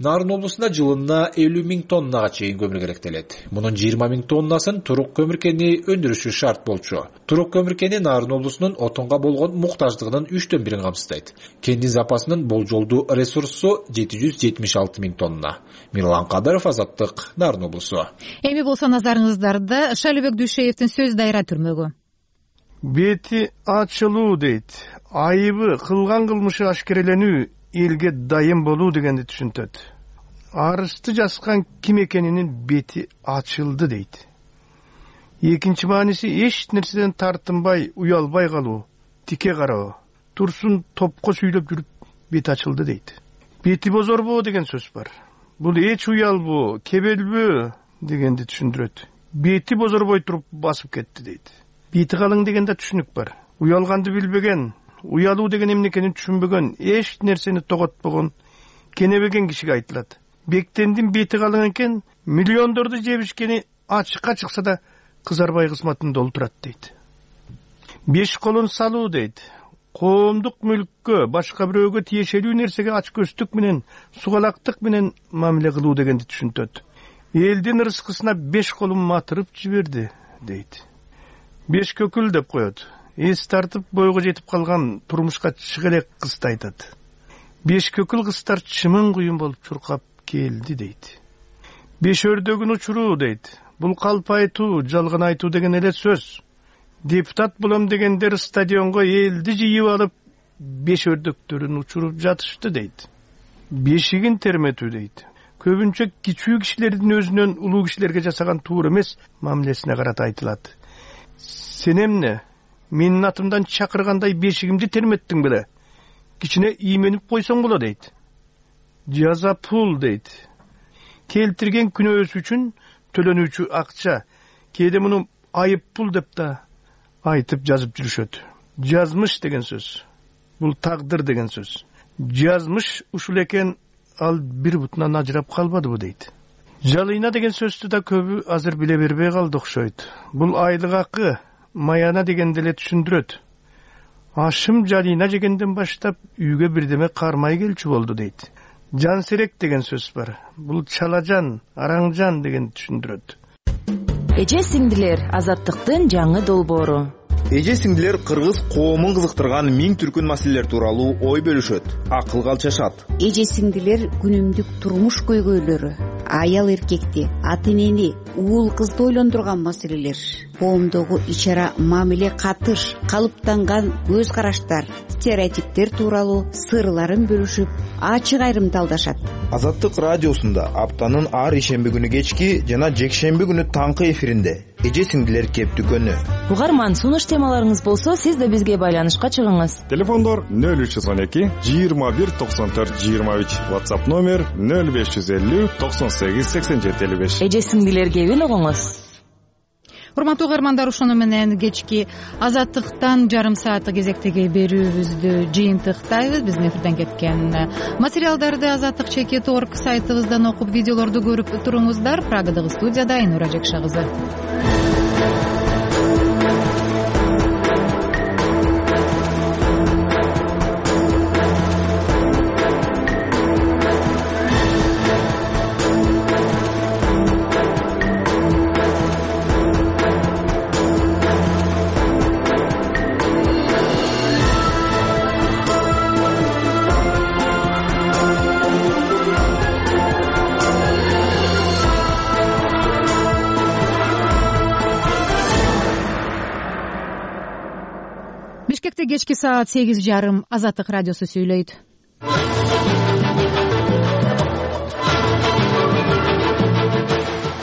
Нарын облусунда жылына 50 000 тоннага чейин көмүр керектелет. Мунун 20 000 тоннасын Турук көмүр кени өндүрүшү шарт болчу. Турук көмүр кени Нарын облусунун отонго болгон муктаждыгынын 3/1 камсыздайт. Кендин запасынын болжолдуу ресурсу 776 000 тонна. Мирлан Кадыров, Азаттык, Нарын облусу. Эми болсо назарыңыздарда Шалыбек Дүйшеевдин сөзү дайра түрмөгү. Бети ачылуу дейт. Айыбы кылган кылмышы ашкереленүү, элге дайым болуу дегенди түшүнтөт. Арызды жазган ким экенинин бети ачылды дейт. Экинчи мааниси эч нерседен тартынбай, уялбай калуу, тике кароо, турсун топко сүйлөп жүрүп бети ачылды дейт. Бети бозорбоо деген сөз бар. Бул эч уялбоо, кебелбөө дегенди түшүндүрөт. Бети бозорбой туруп басып кетти дейт. Бети калың дегенде түшүнүк бар. Уялганды билбеген, уялуу деген эмне экенин түшүнбөгөн, эч нерсени тоготпогон, кенебеген кишиге айтылат. Бектендин бети калың экен, миллиондорду жебишкени ачыкка чыкса да кызарбай кызматын долтурат дейт. 5 колун салуу дейт. Коомдук мүлккө, башка бирөөгө тиешелүү нерсеге ачкөздүк менен, сугалактык менен мамиле кылуу дегенди түшүнтөт. Элдин ырыскысына 5 колун матырып жиберди дейт. 5 көкүл деп коет. Эс тартып бойго жетип калган турмушка чыга элек кызды айтат. 5 көкүл кыздар чымын куюн болуп чуркап келди дейт. 5 өрдөгүн учуруу дейт. Бул калп айтуу, жалган айтуу деген эле сөз. Депутат болом дегендер стадионго элди жыйып алып 5 өрдөктөрүн учуруп жатышты дейт. Бешигин терметүү дейт. Көбүнчө кичүү кишилердин өзүнөн улуу кишилерге жасаган туура эмес мамилесине карата айтылат. Сен эмне? Менин атымдан чакыргандай бешигимди терметтиң беле? Кичине ийменип койсоң боло дейт. Жаза пул дейт. Келтирген күнөөсү үчүн төлөнүүчү акча. Кээде муну айып пул деп да айтып жазып жүрүшөт. Жазмыш деген сөз. Бул тагдыр деген сөз. Жазмыш ушул экен, ал бир бутунан ажырап калбадыбы дейт. Жалыйна деген сөздү да көбү азыр биле бербей калды окшойт. Бул айлык акы, маяна дегенди эле түшүндүрөт. Ашым жалыйна жегенден баштап үйгө бирдеме кармай келчү болду дейт. Жан серек деген сөз бар. Бул чалажан, араңжан деген түшүндүрөт. Эже сиңдилер, Азаттыктын жаңы долбоору. Эже сиңдилер кыргыз коомун кызыктырган миң түркүн маселелер тууралуу ой бөлүшөт, акыл калчашат. Эже сиңдилер күнүмдүк турмуш көйгөйлөрү, аял эркекти, ата энени, уул кызды ойлондурган маселелер коомдогу ич ара мамиле, катыш, калыптанган көз караштар, стереотиптер тууралуу сырларын бөлүшүп, ачык айрымталдашат. Азаттык радиосунда аптанын ар ишемби күнү кечки жана жекшемби күнү таңкы эфиринде эже сиңдилер кеп дүкөнү. Угарман, сунуш темаларыңыз болсо, сиз да бизге байланышка чыгыңыз. Телефондор 0312 21 94 23, WhatsApp номер 0550 98 87 55. Эже сиңдилер кебин угуңуз. Урматтуу угармандар, ошону менен кечки Азаттыктан жарым сааттык кезектеги берүүбүздү жыйынтыктайбыз. Биздин эфирден кеткен материалдарды azattik.org сайтыбыздан окуп, видеолорду көрүп туруңуздар. Прагадагы студияда Айнура Жекша кызы. Бишкекте кечки саат 8:30 Азаттык радиосу сүйлөйт.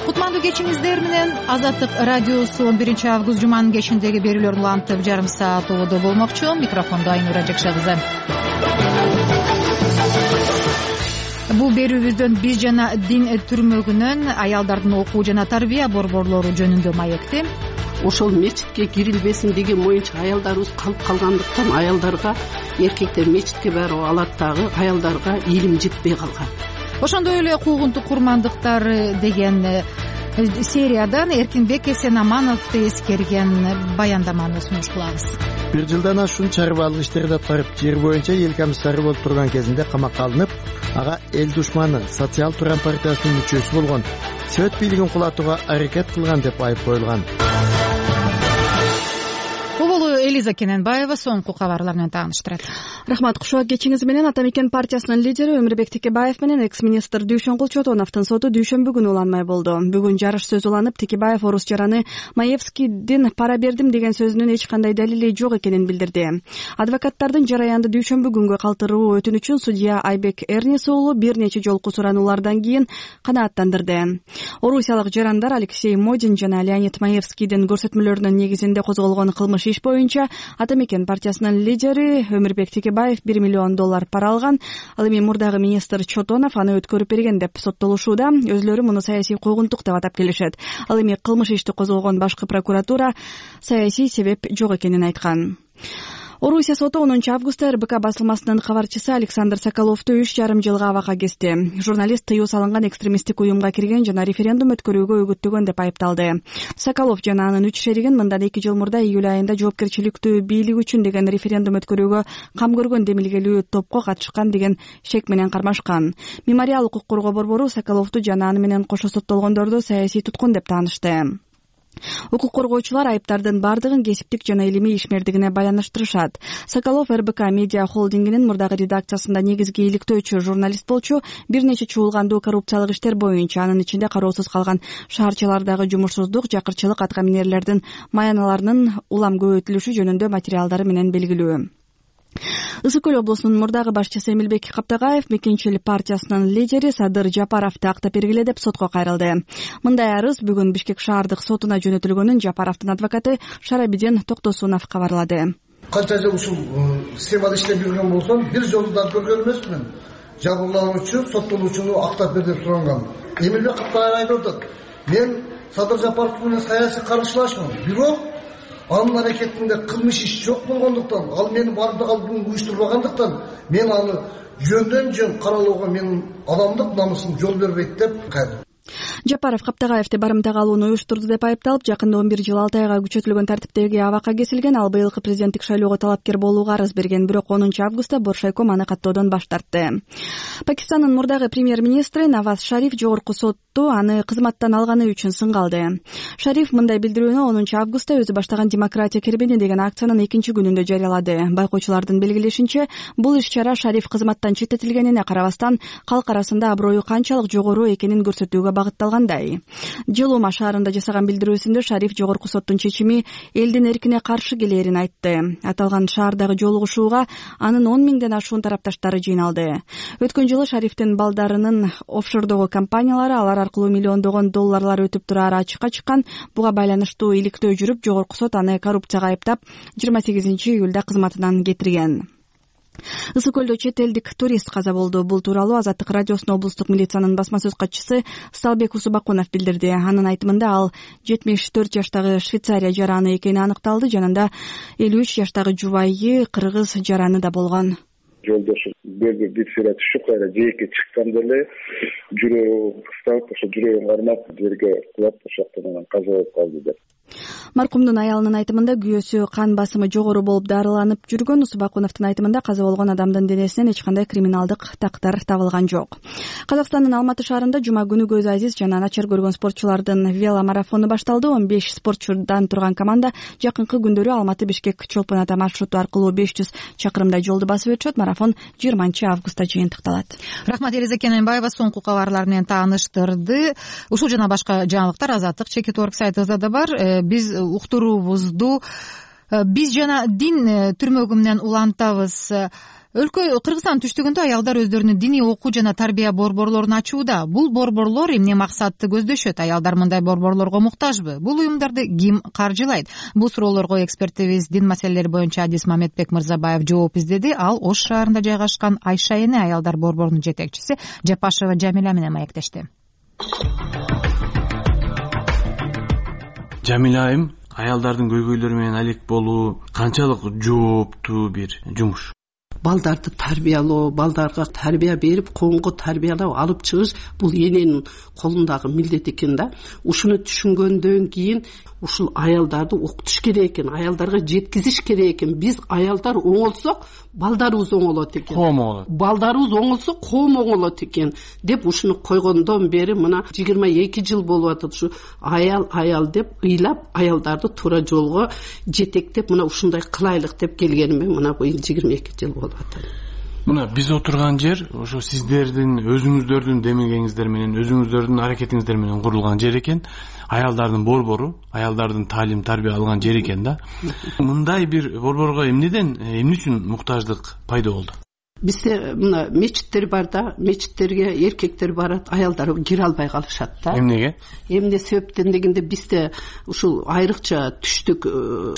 Кутмандуу кечиңиздер менен Азаттык радиосу 11 август жуманын кечиндеги берүүлөрүн улантып жарым саат ободо болмокчу. Микрофондо Айнура Жекша кызы. Бул берүүбүздөн биз жана дин түрмөгүнөн аялдардын окуу жана тарбия борборлору жөнүндө маекти. Ошол мечитке кирилбесин деген моюнча аялдарыбыз калып калгандыктан аялдарга, эркектер мечитке барып алат дагы, аялдарга илим жетпей калган. Ошондой эле куугунтук курмандыктар деген сериядан Эркинбек Эсенамановду эскерген баяндаманы сунуш кылабыз. Бир жылдан ашуун чарбаалык иштерди аткарып, жер боюнча эл комиссары болуп турган кезинде камакка алынып, ага эл душманы Социал Туран партиясынын мүчөсү болгон, Сөт бийлигин кулатууга аракет кылган деп айып коюлган. Оболу Элиза Кененбаева соңку кабарлар менен тааныштырат. Рахмат, кушуак кечиңиз менен. Ата мекен партиясынын лидери Өмүрбек Текебаев менен экс-министр Дүйшөнгүл Чотоновдун соту дүйшөмбү күнү уланмай болду. Бүгүн жарыш сөз уланып, Текебаев орус жараны Маевскийдин пара бердим деген сөзүнүн эч кандай далили жок экенин билдирди. Адвокаттардын жараянды дүйшөмбү күнгө калтыруу өтүнүчүн судья Айбек Эрнис уулу бир нече жолку сурануулардан кийин канааттандырды. Орусиялык жарандар Алексей Модин жана Леонид Маевскийдин көрсөтмөлөрүнүн негизинде козголгон кылмыш иш боюнча Ата мекен партиясынын лидери Өмүрбек Текебаев $1 миллион пара алган. Ал эми мурдагы министр Чотонов аны өткөрүп берген деп соттолушууда. Өзлөрү муну саясий куугунтук деп атап келишет. Ал эми кылмыш ишти козгогон башкы прокуратура саясий себеп жок экенин айткан. Орусия соту 10 августта РБК басылмасынын кабарчысы Александр Соколовду 3,5 жылга абакка кести. Журналист тыюу салынган экстремисттик уюмга кирген жана референдум өткөрүүгө үгүттөгөн деп айыпталды. Соколов жана анын 3 шеригин мындан 2 жыл мурда июль айында жоопкерчиликтүү бийлик үчүн деген референдум өткөрүүгө кам көргөн демилгелүү топко катышкан деген шек менен кармашкан. Мемориал укук коргоо борбору Соколовду жана аны менен кошо соттолгондорду саясий туткун деп таанышты. Укук коргоочулар айыптардын бардыгын кесиптик жана илимий ишмердигине байланыштырышат. Соколов РБК медиа холдингинин мурдагы редакциясында негизги иликтөөчү журналист болчу, бир нече чуулгандуу коррупциялык иштер боюнча, анын ичинде кароосуз калган шаарчалардагы жумушсуздук, жакырчылык, атка минерлердин маяналарынын улам көбөйтүлүшү жөнүндө материалдары менен белгилүү. Ысык Көл облусунун мурдагы башчысы Эмилбек Каптагаев Мекенчил партиясынын лидери Садыр Жапаровду актап бергиле деп сотко кайрылды. Мындай арыз бүгүн Бишкек шаардык сотуна жөнөтүлгөнүн Жапаровдун адвокаты Шарабиден Токтосунов кабарлады. Канча жыл ушул схемада иштеп жүргөн болсом, бир жолу да көргөн эмесмин. Жабырлануучу соттолуучуну актап бер деп суранган. Эмилбек Каптагаев айтып атат: "Мен Садыр Жапаров менен саясий каршылашмын. Бирок анын аракетинде кылмыш иш жок болгондуктан, ал мени бардык алдын уюштурбагандыктан, мен аны жөндөн жөн каралууга менин адамдык намысым жол бербейт" деп кайрылды. Жапаров Каптагаевди барымтага алууну уюштурду деп айыпталып, жакында 11 жыл 6 айга күчөтүлгөн тартиптеги абакка кесилген. Ал быйылкы президенттик шайлоого талапкер болууга арыз берген, бирок 10 августта Боршайком аны каттоодон баш тартты. Пакистандын мурдагы премьер-министри Наваз Шариф жогорку сотту аны кызматтан алганы үчүн сынга алды. Шариф мындай билдирүүнү 10 августта өзү баштаган демократия кербени деген акциянын 2 күнүндө жарыялады. Байкоочулардын белгилешинче, бул иш-чара Шариф кызматтан четтетилгенине карабастан, калк арасында аброю канчалык жогору экенин көрсөтүүгө багытталган. калгандай. Жылуума шаарында жасаган билдирүүсүндө Шариф жогорку соттун чечими элдин эркине каршы келээрин айтты. Аталган шаардагы жолугушууга анын 10 миңден ашуун тарапташтары жыйналды. Өткөн жылы Шарифтин балдарынын офшордогу компаниялары алар аркылуу миллиондогон долларлар өтүп турары ачыкка чыккан. Буга байланыштуу иликтөө жүрүп, жогорку сот аны коррупцияга айыптап 28 июлда кызматынан кетирген. Ысык көлдө чет элдик турист каза болду. Бул тууралуу Азаттык радиосунун облустук милициянын басма сөз катчысы Салбек Усубакунов билдирди. Анын айтымында ал 74 жаштагы Швейцария жараны экени аныкталды. Жанында 53 жаштагы жубайы кыргыз жараны да болгон. Жолдошу бир сыйра түшүп кайра жээкке чыкканда эле жүрөгү кысталып, ошо жүрөгүн кармап жерге кулап, ошол жактан каза болуп калды деп. Маркумдун аялынын айтымында күйөөсү кан басымы жогору болуп дарыланып жүргөн. Усубакуновдун айтымында каза болгон адамдын денесинен эч кандай криминалдык тактар табылган жок. Казакстандын Алматы шаарында жума күнү көз азиз жана начар көргөн спортчулардын веломарафону башталды. 15 спортчудан турган команда жакынкы күндөрү Алматы-Бишкек чолпон ата маршруту аркылуу 500 чакырымдай жолду басып өтүшөт. Марафон 20-августта жыйынтыкталат. Рахмат, Элиза Кененбаева соңку кабарлар менен тааныштырды. Ушул жана башка жаңылыктар Азаттык Чекит.орг сайтыбызда да бар. Биз уктуруубузду биз жана дин түрмөгү менен улантабыз. Өлкө Кыргызстан түштүгүндө аялдар өздөрүнүн диний окуу жана тарбия борборлорун ачууда. Бул борборлор эмне максатты көздөшөт? Аялдар мындай борборлорго муктажбы? Бул уюмдарды ким каржылайт? Бул суроолорго экспертибиз дин маселелери боюнча Адис Мамедбек Мырзабаев жооп издеди. Ал Ош шаарында жайгашкан Айша эне аялдар борборунун жетекчиси Жапашева Жамиля менен маектешти. Жамиля айым, аялдардын көйгөйлөрү менен алек болуу канчалык жооптуу бир жумуш? Балдарды тарбиялоо, балдарга тарбия берип, коомго тарбиялап алып чыгыш бул эненин колундагы милдет экен да. Ушуну түшүнгөндөн кийин ушул аялдарды окутуш керек экен, аялдарга жеткизиш керек экен. Биз аялдар оңолсок, балдарыбыз оңолот экен. Коом оңолот. Балдарыбыз оңолсо, коом оңолот экен деп ушуну койгондон бери мына 22 жыл болуп атат. Ушу аял деп ыйлап, аялдарды туура жолго жетектеп, мына ушундай кылайлык деп келгениме мына быйыл 22 жыл болуп атат. Мына биз отурган жер ошо сиздердин өзүңүздөрдүн демилгениңиздер менен, өзүңүздөрдүн аракетиңиздер менен курулган жер экен. Аялдардын борбору, аялдардын таалим тарбия алган жер экен да. Мындай бир борборго эмне үчүн муктаждык пайда болду? Бизде мына мечиттер бар да, мечиттерге эркектер барат, аялдар кире албай калышат да. Эмнеге? Эмне себептен дегенде бизде ушул айрыкча түштүк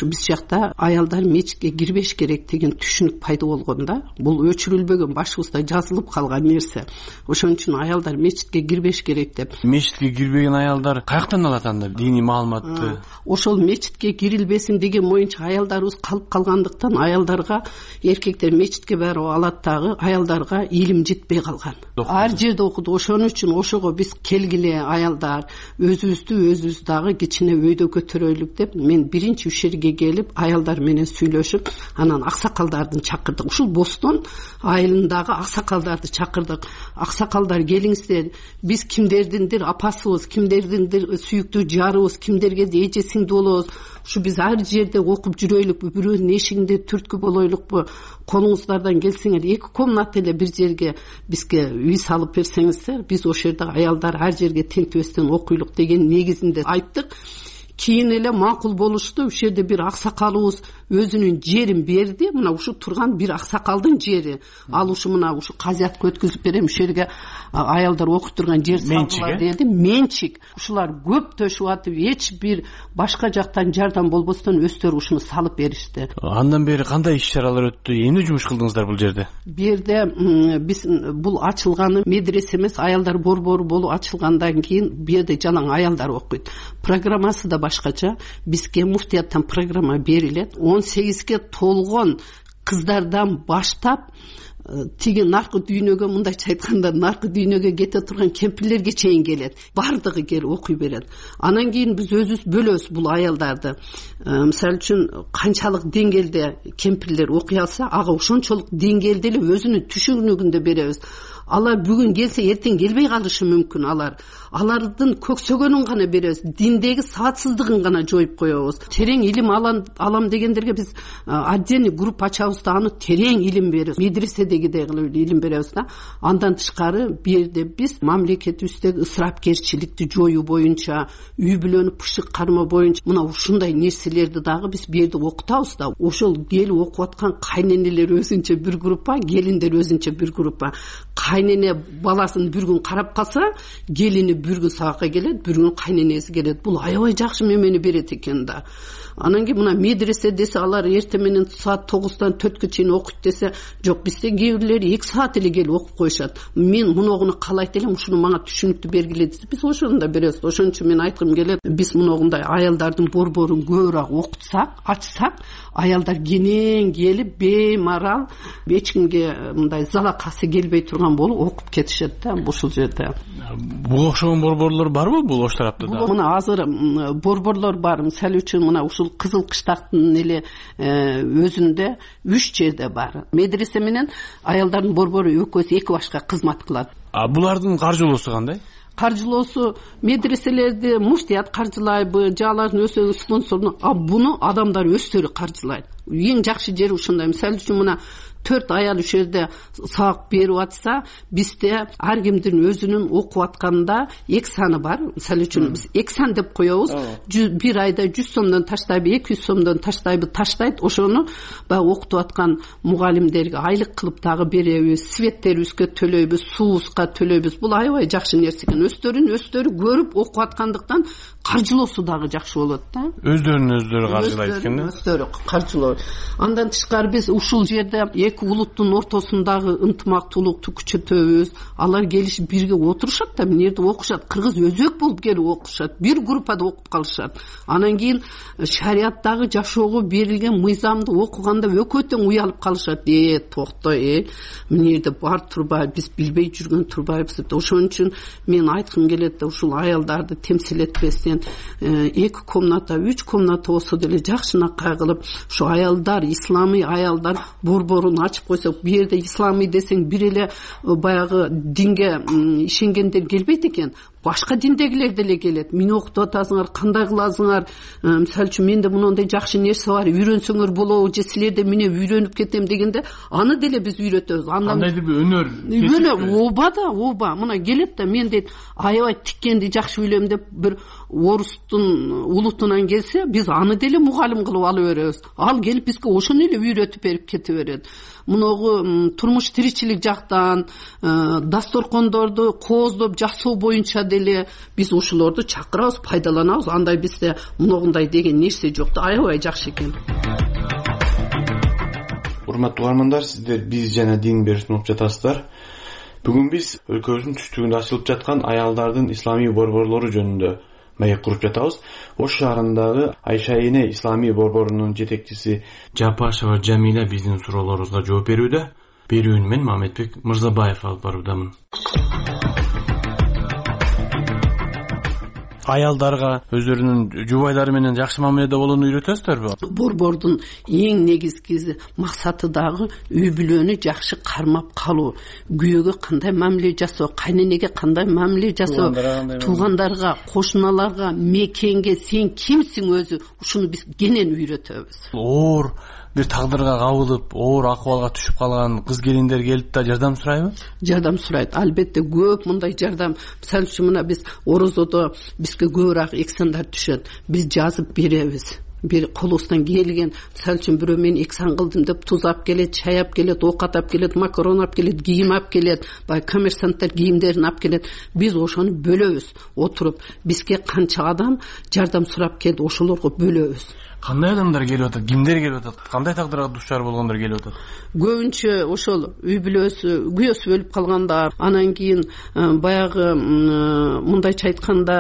биз жакта аялдар мечитке кирбеш керек деген түшүнүк пайда болгон да. Бул өчүрүлбөгөн, башыбызда жазылып калган нерсе. Ошон үчүн аялдар мечитке кирбеш керек деп. Мечитке кирбеген аялдар каяктан алат анда диний маалыматты? Ошол мечитке кирилбесин деген моюнча аялдарыбыз калып калгандыктан аялдарга эркектер мечитке барып алат, аялдарга илим жетпей калган. Ар жерде окуду. Ошон үчүн ошого биз келгиле аялдар өзүбүз дагы кичине өйдө көтөрөлүк деп мен биринчи ушерге келип аялдар менен сүйлөшүп, анан аксакалдарды чакырдык. Ушул Бостон айылындагы аксакалдарды чакырдык. Аксакалдар келиңиздер, биз кимдердиндир апасыбыз, кимдердиндир сүйүктүү жарыбыз, кимдерге эже сиңди болобуз. Ушу биз ар жерде окуп жүрөйлүкпү, бирөөнүн эшигинде түрткү болойлукпу, колуңуздардан келсеңер 2 комната эле бир жерге бизге үй салып берсеңиздер, биз ошол жерде аялдар ар жерге тентебестен окуйлук деген негизинде айттык. Кийин эле макул болушту. Ушул жерде бир аксакалыбыз өзүнүн жерин берди. Мына ушу турган бир аксакалдын жери. Ал ушу мына ушу казятка өткүзүп берем, ушул жерге аялдар окуп турган жер салгыла деди. Менчик. Ушулар көп төшүп атып, эч бир башка жактан жардам болбостон өздөрү ушуну салып беришти. Андан бери кандай иш-чаралар өттү? Эмне жумуш кылдыңыздар бул жерде? Бу жерде биз бул ачылганы медресе эмес, аялдар борбору болуп ачылгандан кийин бу жерде жалаң аялдар окуйт. Программасы да башкача. Бизге муфтияттан программа берилет. 18ге толгон кыздардан баштап тиги наркы дүйнөгө, мындайча айтканда наркы дүйнөгө кете турган кемпирлерге чейин келет. Бардыгы келип окуй берет. Анан кийин биз өзүбүз бөлөбүз бул аялдарды. Мисалы үчүн канчалык деңгээлде кемпирлер окуй алса, ага ошончолук деңгээлде эле өзүнүн түшүнүгүндө беребиз. алар бүгүн келсе эртең келбей калышы мүмкүн. Алардын көксөгөнүн гана беребиз, диндеги саатсыздыгын гана жоюп коебуз. Терең илим алам дегендерге биз отдельный группа ачабыз да аны терең илим беребиз. Медреседегидей кылып илим беребиз да. Андан тышкары бу жерде биз мамлекетибиздеги ысырапкерчиликти жоюу боюнча, үй бүлөнү пышык кармоо боюнча мына ушундай нерселерди дагы биз бу жерде окутабыз да. Ошол келип окуп аткан кайненелер өзүнчө бир группа, келиндер өзүнчө бир группа. Кайнене баласын бир күн карап калса, келини бир күн сабакка келет, бир күн кайненеси келет. Бул аябай жакшы мемени берет экен да. Анан кийин мына медресе десе, алар эртең менен саат 9-дан 4-кө чейин окуйт десе, жок, бизде кээ бирлери 2 саат эле келип окуп коюшат. Мен муногуну каалайт элем, ушуну мага түшүнүктүү бергиле десе, биз ошону да беребиз. Ошон үчүн мен айткым келет, биз муногундай аялдардын борборун көбүрөөк окутсак, ачсак, аялдар кенен келип беймарал, эч кимге мындай залакасы келбей турган болуп окуп кетишет да ушул жерде. Буга окшогон борборлор барбы бул ош тарапта да? Мына азыр борборлор бар. Мисалы үчүн мына ушул Кызыл Кыштактын эле өзүндө 3 жерде бар. Медресе менен аялдардын борбору экөөсү эки башка кызмат кылат. Булардын каржылоосу кандай? Каржылоосу медреселерди муфтият каржылайбы, же алардын өздөрүнүн спонсору, буну адамдар өздөрү каржылайт. Эң жакшы жери ушундай. Мисалы үчүн мына 4 аял ушул жерде сабак берип атса, бизде ар кимдин өзүнүн окуп атканда 2 саны бар. Мисалы үчүн биз 2 сан деп коебуз. Бир айда 100 сомдон таштайбы, 200 сомдон таштайт. Ошону баягы окутуп аткан мугалимдерге айлык кылып дагы беребиз, светтерибизге төлөйбүз, суубузга төлөйбүз. Бул аябай жакшы нерсе экен. Өздөрү көрүп окуп аткандыктан каржылоосу дагы жакшы болот да. Өздөрүн каржылайт экен да. Өздөрү каржылоо. Андан тышкары биз ушул жерде эки улуттун ортосундагы ынтымактуулукту күчөтөбүз. Алар келишип бирге отурушат да, мына жерде окушат. Кыргыз өзөк болуп келип окушат. Бир группада окуп калышат. Анан кийин шариаттагы жашоого берилген мыйзамды окуганда экөө тең уялып калышат. Токто, мына жерде бар турбайбы, биз билбей жүргөн турбайбыз деп. Ошон үчүн мен айткым келет да, ушул аялдарды темсилетпестен 2 комната, 3 комната болсо деле жакшынакай кылып, ушу аялдар, исламий аялдар борборун ачып койсок, бу жерде исламий десең бир эле баягы динге ишенгендер келбейт экен. Башка диндегилер деле келет. Мени окутуп атасыңар, кандай кыласыңар? Мисалы үчүн менде мындай жакшы нерсе бар, үйрөнсөңөр болобу, же силерде менен үйрөнүп кетем дегенде, аны деле биз үйрөтөбүз. Кандайдыр бир өнөр. Оба, мына келет да, мен дейт, аябай тиккенди жакшы билем деп бир орустун улутунан келсе, биз аны деле мугалим кылып алып беребиз. Ал келип бизге ошону эле үйрөтүп берип кете берет. Муногу турмуш тиричилик жактан, дасторкондорду кооздоп жасоо боюнча деле биз ушулорду чакырабыз, пайдаланабыз. Андай бизде муногундай деген нерсе жок да, аябай жакшы экен. Урматтуу угармандар, сиздер биз жана дин берүүсүн угуп жатасыздар. Бүгүн биз өлкөбүздүн түштүгүндө ачылып жаткан аялдардын исламий борборлору жөнүндө маек куруп жатабыз. Ош шаарындагы Айша эне исламий борборунун жетекчиси Жапашева Жамиля биздин суроолорубузга жооп берүүдө. Берүүнү мен Мамедбек Мырзабаев алып баруудамын. Аялдарга өздөрүнүн жубайлары менен жакшы мамиледе болууну үйрөтөсүздөрбү? Борбордун эң негизги максаты дагы үй бүлөнү жакшы кармап калуу. Күйөөгө кандай мамиле жасоо, кайненеге кандай мамиле жасоо, туугандарга, кошуналарга, мекенге сен кимсиң өзү, ушуну биз кенен үйрөтөбүз. Оор бир тагдырга кабылып, оор акыбалга түшүп калган кыз келиндер келип да жардам сурайбы? Жардам сурайт. Албетте көп мындай жардам. Мисалы үчүн мына биз орозодо бизге көбүрөөк эксандар түшөт. Биз жазып беребиз. Бир колубуздан келген, мисалы үчүн бирөө мен эксан кылдым деп туз алып келет, чай алып келет, оокат алып келет, макарон алып келет, кийим алып келет, баягы коммерсанттар кийимдерин алып келет. Биз ошону бөлөбүз. Отуруп бизге канча адам жардам сурап келди, ошолорго бөлөбүз. Кандай адамдар келип атат? Кимдер келип атат? Кандай тагдырга дуушар болгондор келип атат? Көбүнчө ошол үй бүлөсү, күйөөсү өлүп калгандар, анан кийин баягы мындайча айтканда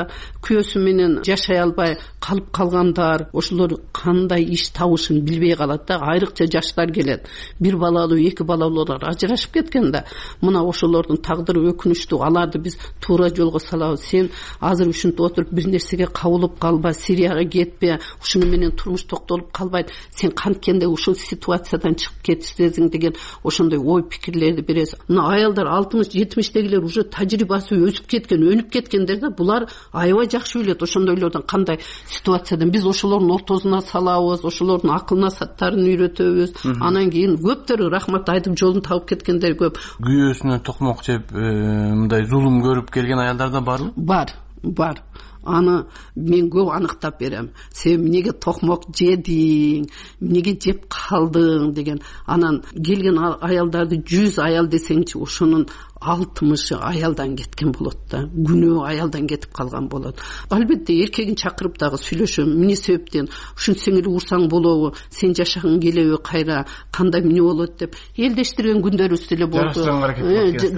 күйөөсү менен жашай албай калып калгандар, ошолор кандай иш табышын билбей калат да. Айрыкча жаштар келет. Бир балалуу, эки балалуулар ажырашып кеткен да. Мына ошолордун тагдыры өкүнүчтүү. Аларды биз туура жолго салабыз. Сен азыр ушинтип отуруп бир нерсеге кабылып калба, Сирияга кетпе, ушуну менен турмуш токтолуп калбайт, сен канткенде ушул ситуациядан чыгып кетесиң деген ошондой ой пикирлерди бересиз. Мына аялдар 60-70дегилер уже тажрыйбасы өсүп кеткен, өнүп кеткендер да, булар аябай жакшы билет ошондойлордон кандай ситуациядан. Биз ошолордун ортосуна салабыз, ошолордун акыл насаттарын үйрөтөбүз. Анан кийин көптөр рахмат айтып жолун табып кеткендер көп. Күйөөсүнө токмок жеп мындай зулум көрүп келген аялдар да барбы? Бар. Аны мен көп аныктап берем. Сен эмнеге токмок жедиң, эмнеге жеп калдың деген. Анан келген аялдарды 100 аял десеңчи, ошонун 60 аялдан кеткен болот да. Күнөө аялдан кетип калган болот. Албетте эркегин чакырып дагы сүйлөшөм. Эмне себептен ушинтсең эле урсаң болобу, сен жашагың келеби, кайра кандай эмне болот деп элдештирген күндөрүбүз деле болду.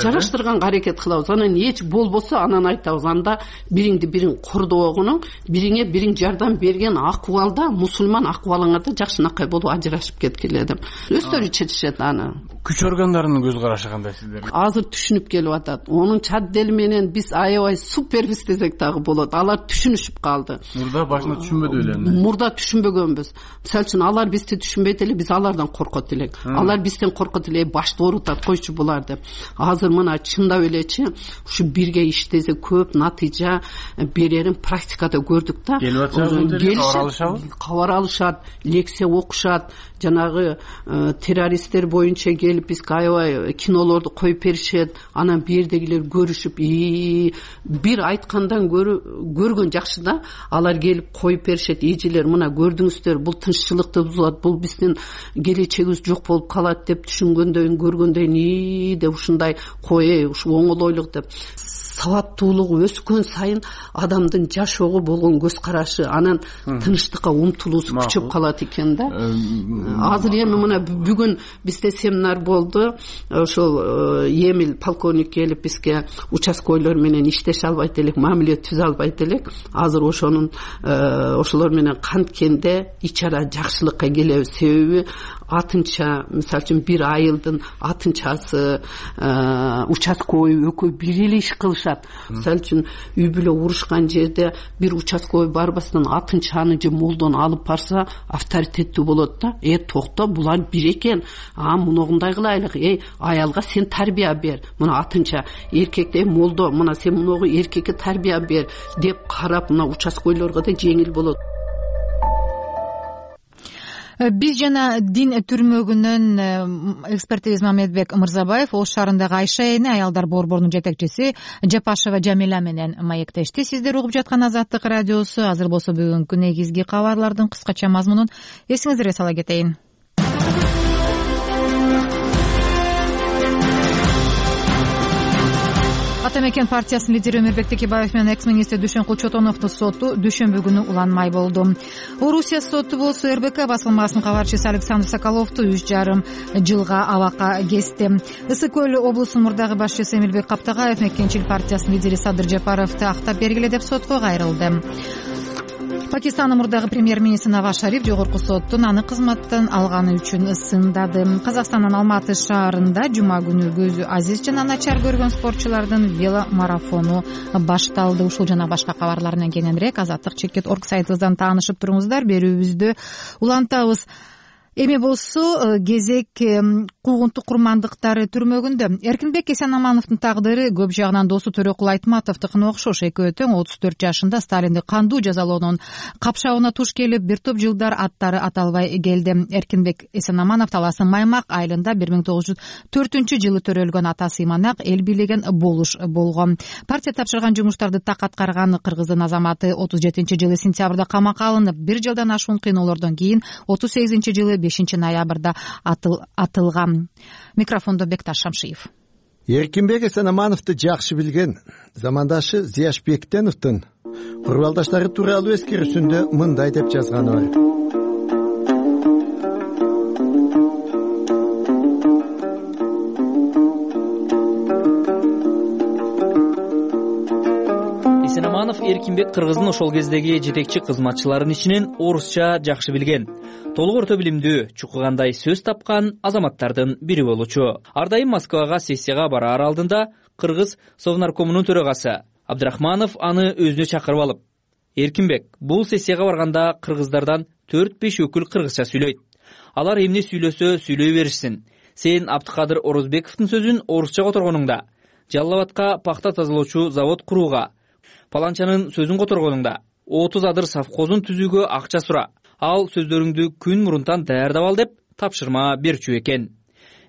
Жараштырганга аракет кылабыз. Анан эч болбосо анан айтабыз, анда бириңди бириң кордогону, бириңе бириң жардам берген акыбалда, мусулман акыбалыңарда жакшынакай болуп ажырашып кеткиле деп. Өздөрү чечишет аны. Күч органдарынын көз карашы кандай сиздердин? Азыр түшүнүп келип атат. Онун чаддели менен биз аябай супербиз десек дагы болот. Алар түшүнүшүп калды. Мурда башында түшүнбөдү эле. Мурда түшүнбөгөнбүз. Мисалы үчүн алар бизди түшүнбөйт эле, биз алардан коркот элек. Алар бизден коркот эле, башты оорутат, койчу булар деп. Азыр мына чындап элечи, ушу бирге иштесе көп натыйжа берерин практикада көрдүк да. Кабар алышат, лекция окушат, жанагы террористтер боюнча келип бизге аябай кинолорду коюп беришет. Анан бирдегилер көрүшүп, бир айткандан көргөн жакшы да. Алар келип коюп беришет, эжелер мына көрдүңүздөр, бул тынччылыкты бузат, бул биздин келечегибиз жок болуп калат деп түшүнгөндөн көргөндөн деп ушундай ушу оңолойлук деп. Сабаттуулугу өскөн сайын адамдын жашоого болгон көз карашы, анан тынчтыкка умтулуусу күчөп калат экен да. Азыр эми мына бүгүн бизде семинар болду. Ошол Эмил полковник келип бизге участкойлор менен иштеше албайт элек, мамиле түзө албайт элек. Азыр ошолор менен канткенде ичара жакшылыкка келебиз. Себеби атынча, мисалы үчүн бир айылдын атынчасы, участкой экөө бир эле иш кылышат. Мисалы үчүн үй бүлө урушкан жерде бир участкой барбастан атынчаны же молдону алып барса авторитеттүү болот да. Токто, булар бир экен. Муногундай кылайлык. Аялга сен тарбия бер. Мына атынча эркекте молдо, мына сен муногу эркекке тарбия бер деп карап, мына участкойлорго да жеңил болот. Биз жана дин түрмөгүнөн экспертибиз Мамедбек Мырзабаев Ош шаарындагы Айша эне аялдар борборунун жетекчиси Жапашева Жамиля менен маектешти. Сиздер угуп жаткан Азаттык радиосу. Азыр болсо бүгүнкү негизги кабарлардын кыскача мазмунун эсиңиздерге сала кетейин. Ата мекен партиясынын лидери Өмүрбек Текебаев менен экс-министр Дүйшөн Кулчотоновдун соту дүйшөмбү күнү уланмай болду. Орусия соту болсо РБК басылмасынын кабарчысы Александр Соколовду 3,5 жылга абакка кести. Ысык көл облусунун мурдагы башчысы Эмилбек Каптагаев Мекенчил партиясынын лидери Садыр Жапаровду актап бергиле деп сотко кайрылды. Пакистандын мурдагы премьер-министри Наваз Шариф жогорку соттун аны кызматтан алганы үчүн сындады. Казакстандын Алматы шаарында жума күнү көзү азиз жана начар көргөн спортчулардын веломарафону башталды. Ушул жана башка кабарлар менен кененирээк azattik.org сайтыбыздан таанышып туруңуздар. Берүүбүздү улантабыз. Эми болсо кезек куугунтук курмандыктары түрмөгүндө. Эркинбек Эсенамановдун тагдыры көп жагынан досу Төрөкул Айтматовдукуна окшош. Экөө тең 34 жашында Сталинди кандуу жазалоонун капшабына туш келип, бир топ жылдар аттары аталбай келди. Эркинбек Эсенаманов Таластын Маймак айылында 1904-жылы төрөлгөн атасы Иманак эл бийлеген болуш болгон. Партия тапшырган жумуштарды так аткарган кыргыздын азаматы 37-жылы сентябрда камакка алынып, 1 жылдан ашуун кыйноолордон кийин 38-жылы 5 ноябрда атылган. Микрофондо Бекташ Шамшиев. Эркинбек Эсенамановду жакшы билген замандашы Зияш Бектеновдун курбалдаштары тууралуу эскерүүсүндө мындай деп жазганы бар. Эсенаманов Эркинбек кыргыздын ошол кездеги жетекчи кызматчыларынын ичинен орусча жакшы билген, толук орто билимдүү, чукугандай сөз тапкан азаматтардын бири болчу. Ар дайым Москвага сессияга бараар алдында кыргыз Совнаркомунун төрагасы Абдрахманов аны өзүнө чакырып алып: "Эркинбек, бул сессияга барганда кыргыздардан 4-5 өкүл кыргызча сүйлөйт. Алар эмне сүйлөсө сүйлөй беришсин. Сен Абдыкадыр Орозбековдун сөзүн орусча которгонуңда, Жалал Абадка пахта тазалоочу завод курууга, паланчанын сөзүн которгонуңда 30 адыр совхозун түзүүгө акча сура. Ал сөздөрүңдү күн мурунтан даярдап ал деп тапшырма берчү экен.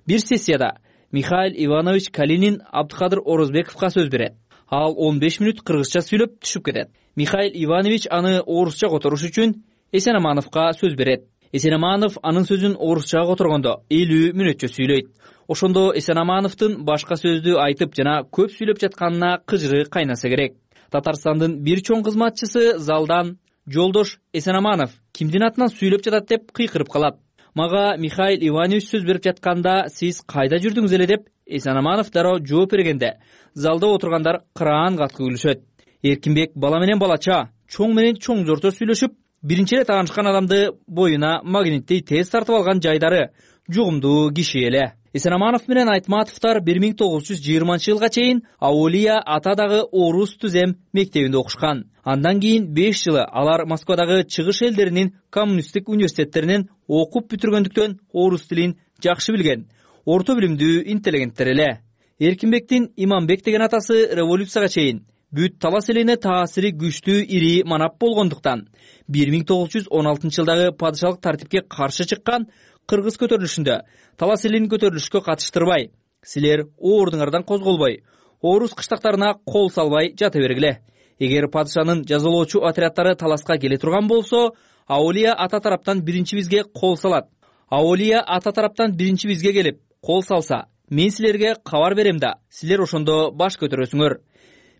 Бир сессияда Михаил Иванович Калинин Абдыкадыр Орозбековго сөз берет. Ал 15 мүнөт кыргызча сүйлөп түшүп кетет. Михаил Иванович аны орусча которуш үчүн Эсенамановго сөз берет. Эсенаманов анын сөзүн орусчага которгондо 50 мүнөтчө сүйлөйт. Ошондо Эсенамановдун башка сөздү айтып жана көп сүйлөп жатканына кыжыры кайнаса керек. Татарстандын бир чоң кызматчысы залдан «Жолдош Эсенаманов кимдин атынан сүйлөп жатат?» деп кыйкырып калат. Мага Михаил Иванович сөз берип жатканда сиз кайда жүрдүңүз эле деп Эсенаманов дароо жооп бергенде залда отургандар кыраан катку күлүшөт. Эркинбек бала менен балача, чоң менен чоң жорто сүйлөшүп, биринчи эле таанышкан адамды боюна магниттей тез тартып алган жайдары жугумдуу киши эле. Эсенаманов менен Айтматовдор 1920-жылга чейин Аулия Атадагы орус түзем мектебинде окушкан. Андан кийин 5 жылы алар Москвадагы чыгыш элдеринин коммунисттик университеттеринен окуп бүтүргөндүктөн орус тилин жакшы билген, орто билимдүү интеллигенттер эле. Эркинбектин Иманбек деген атасы революцияга чейин бүт талас элине таасири күчтүү ири манап болгондуктан 1916-жылдагы падышалык тартипке каршы чыккан кыргыз көтөрүлүшүндө талас элин көтөрүлүшкө катыштырбай, силер оордуңардан козголбой, орус кыштактарына кол салбай жата бергиле. Эгер падышанын жазалоочу отряддары таласка келе турган болсо, Аулия ата тараптан биринчи бизге кол салат. Аулия ата тараптан биринчи бизге келип кол салса, мен силерге кабар берем да, силер ошондо баш көтөрөсүңөр.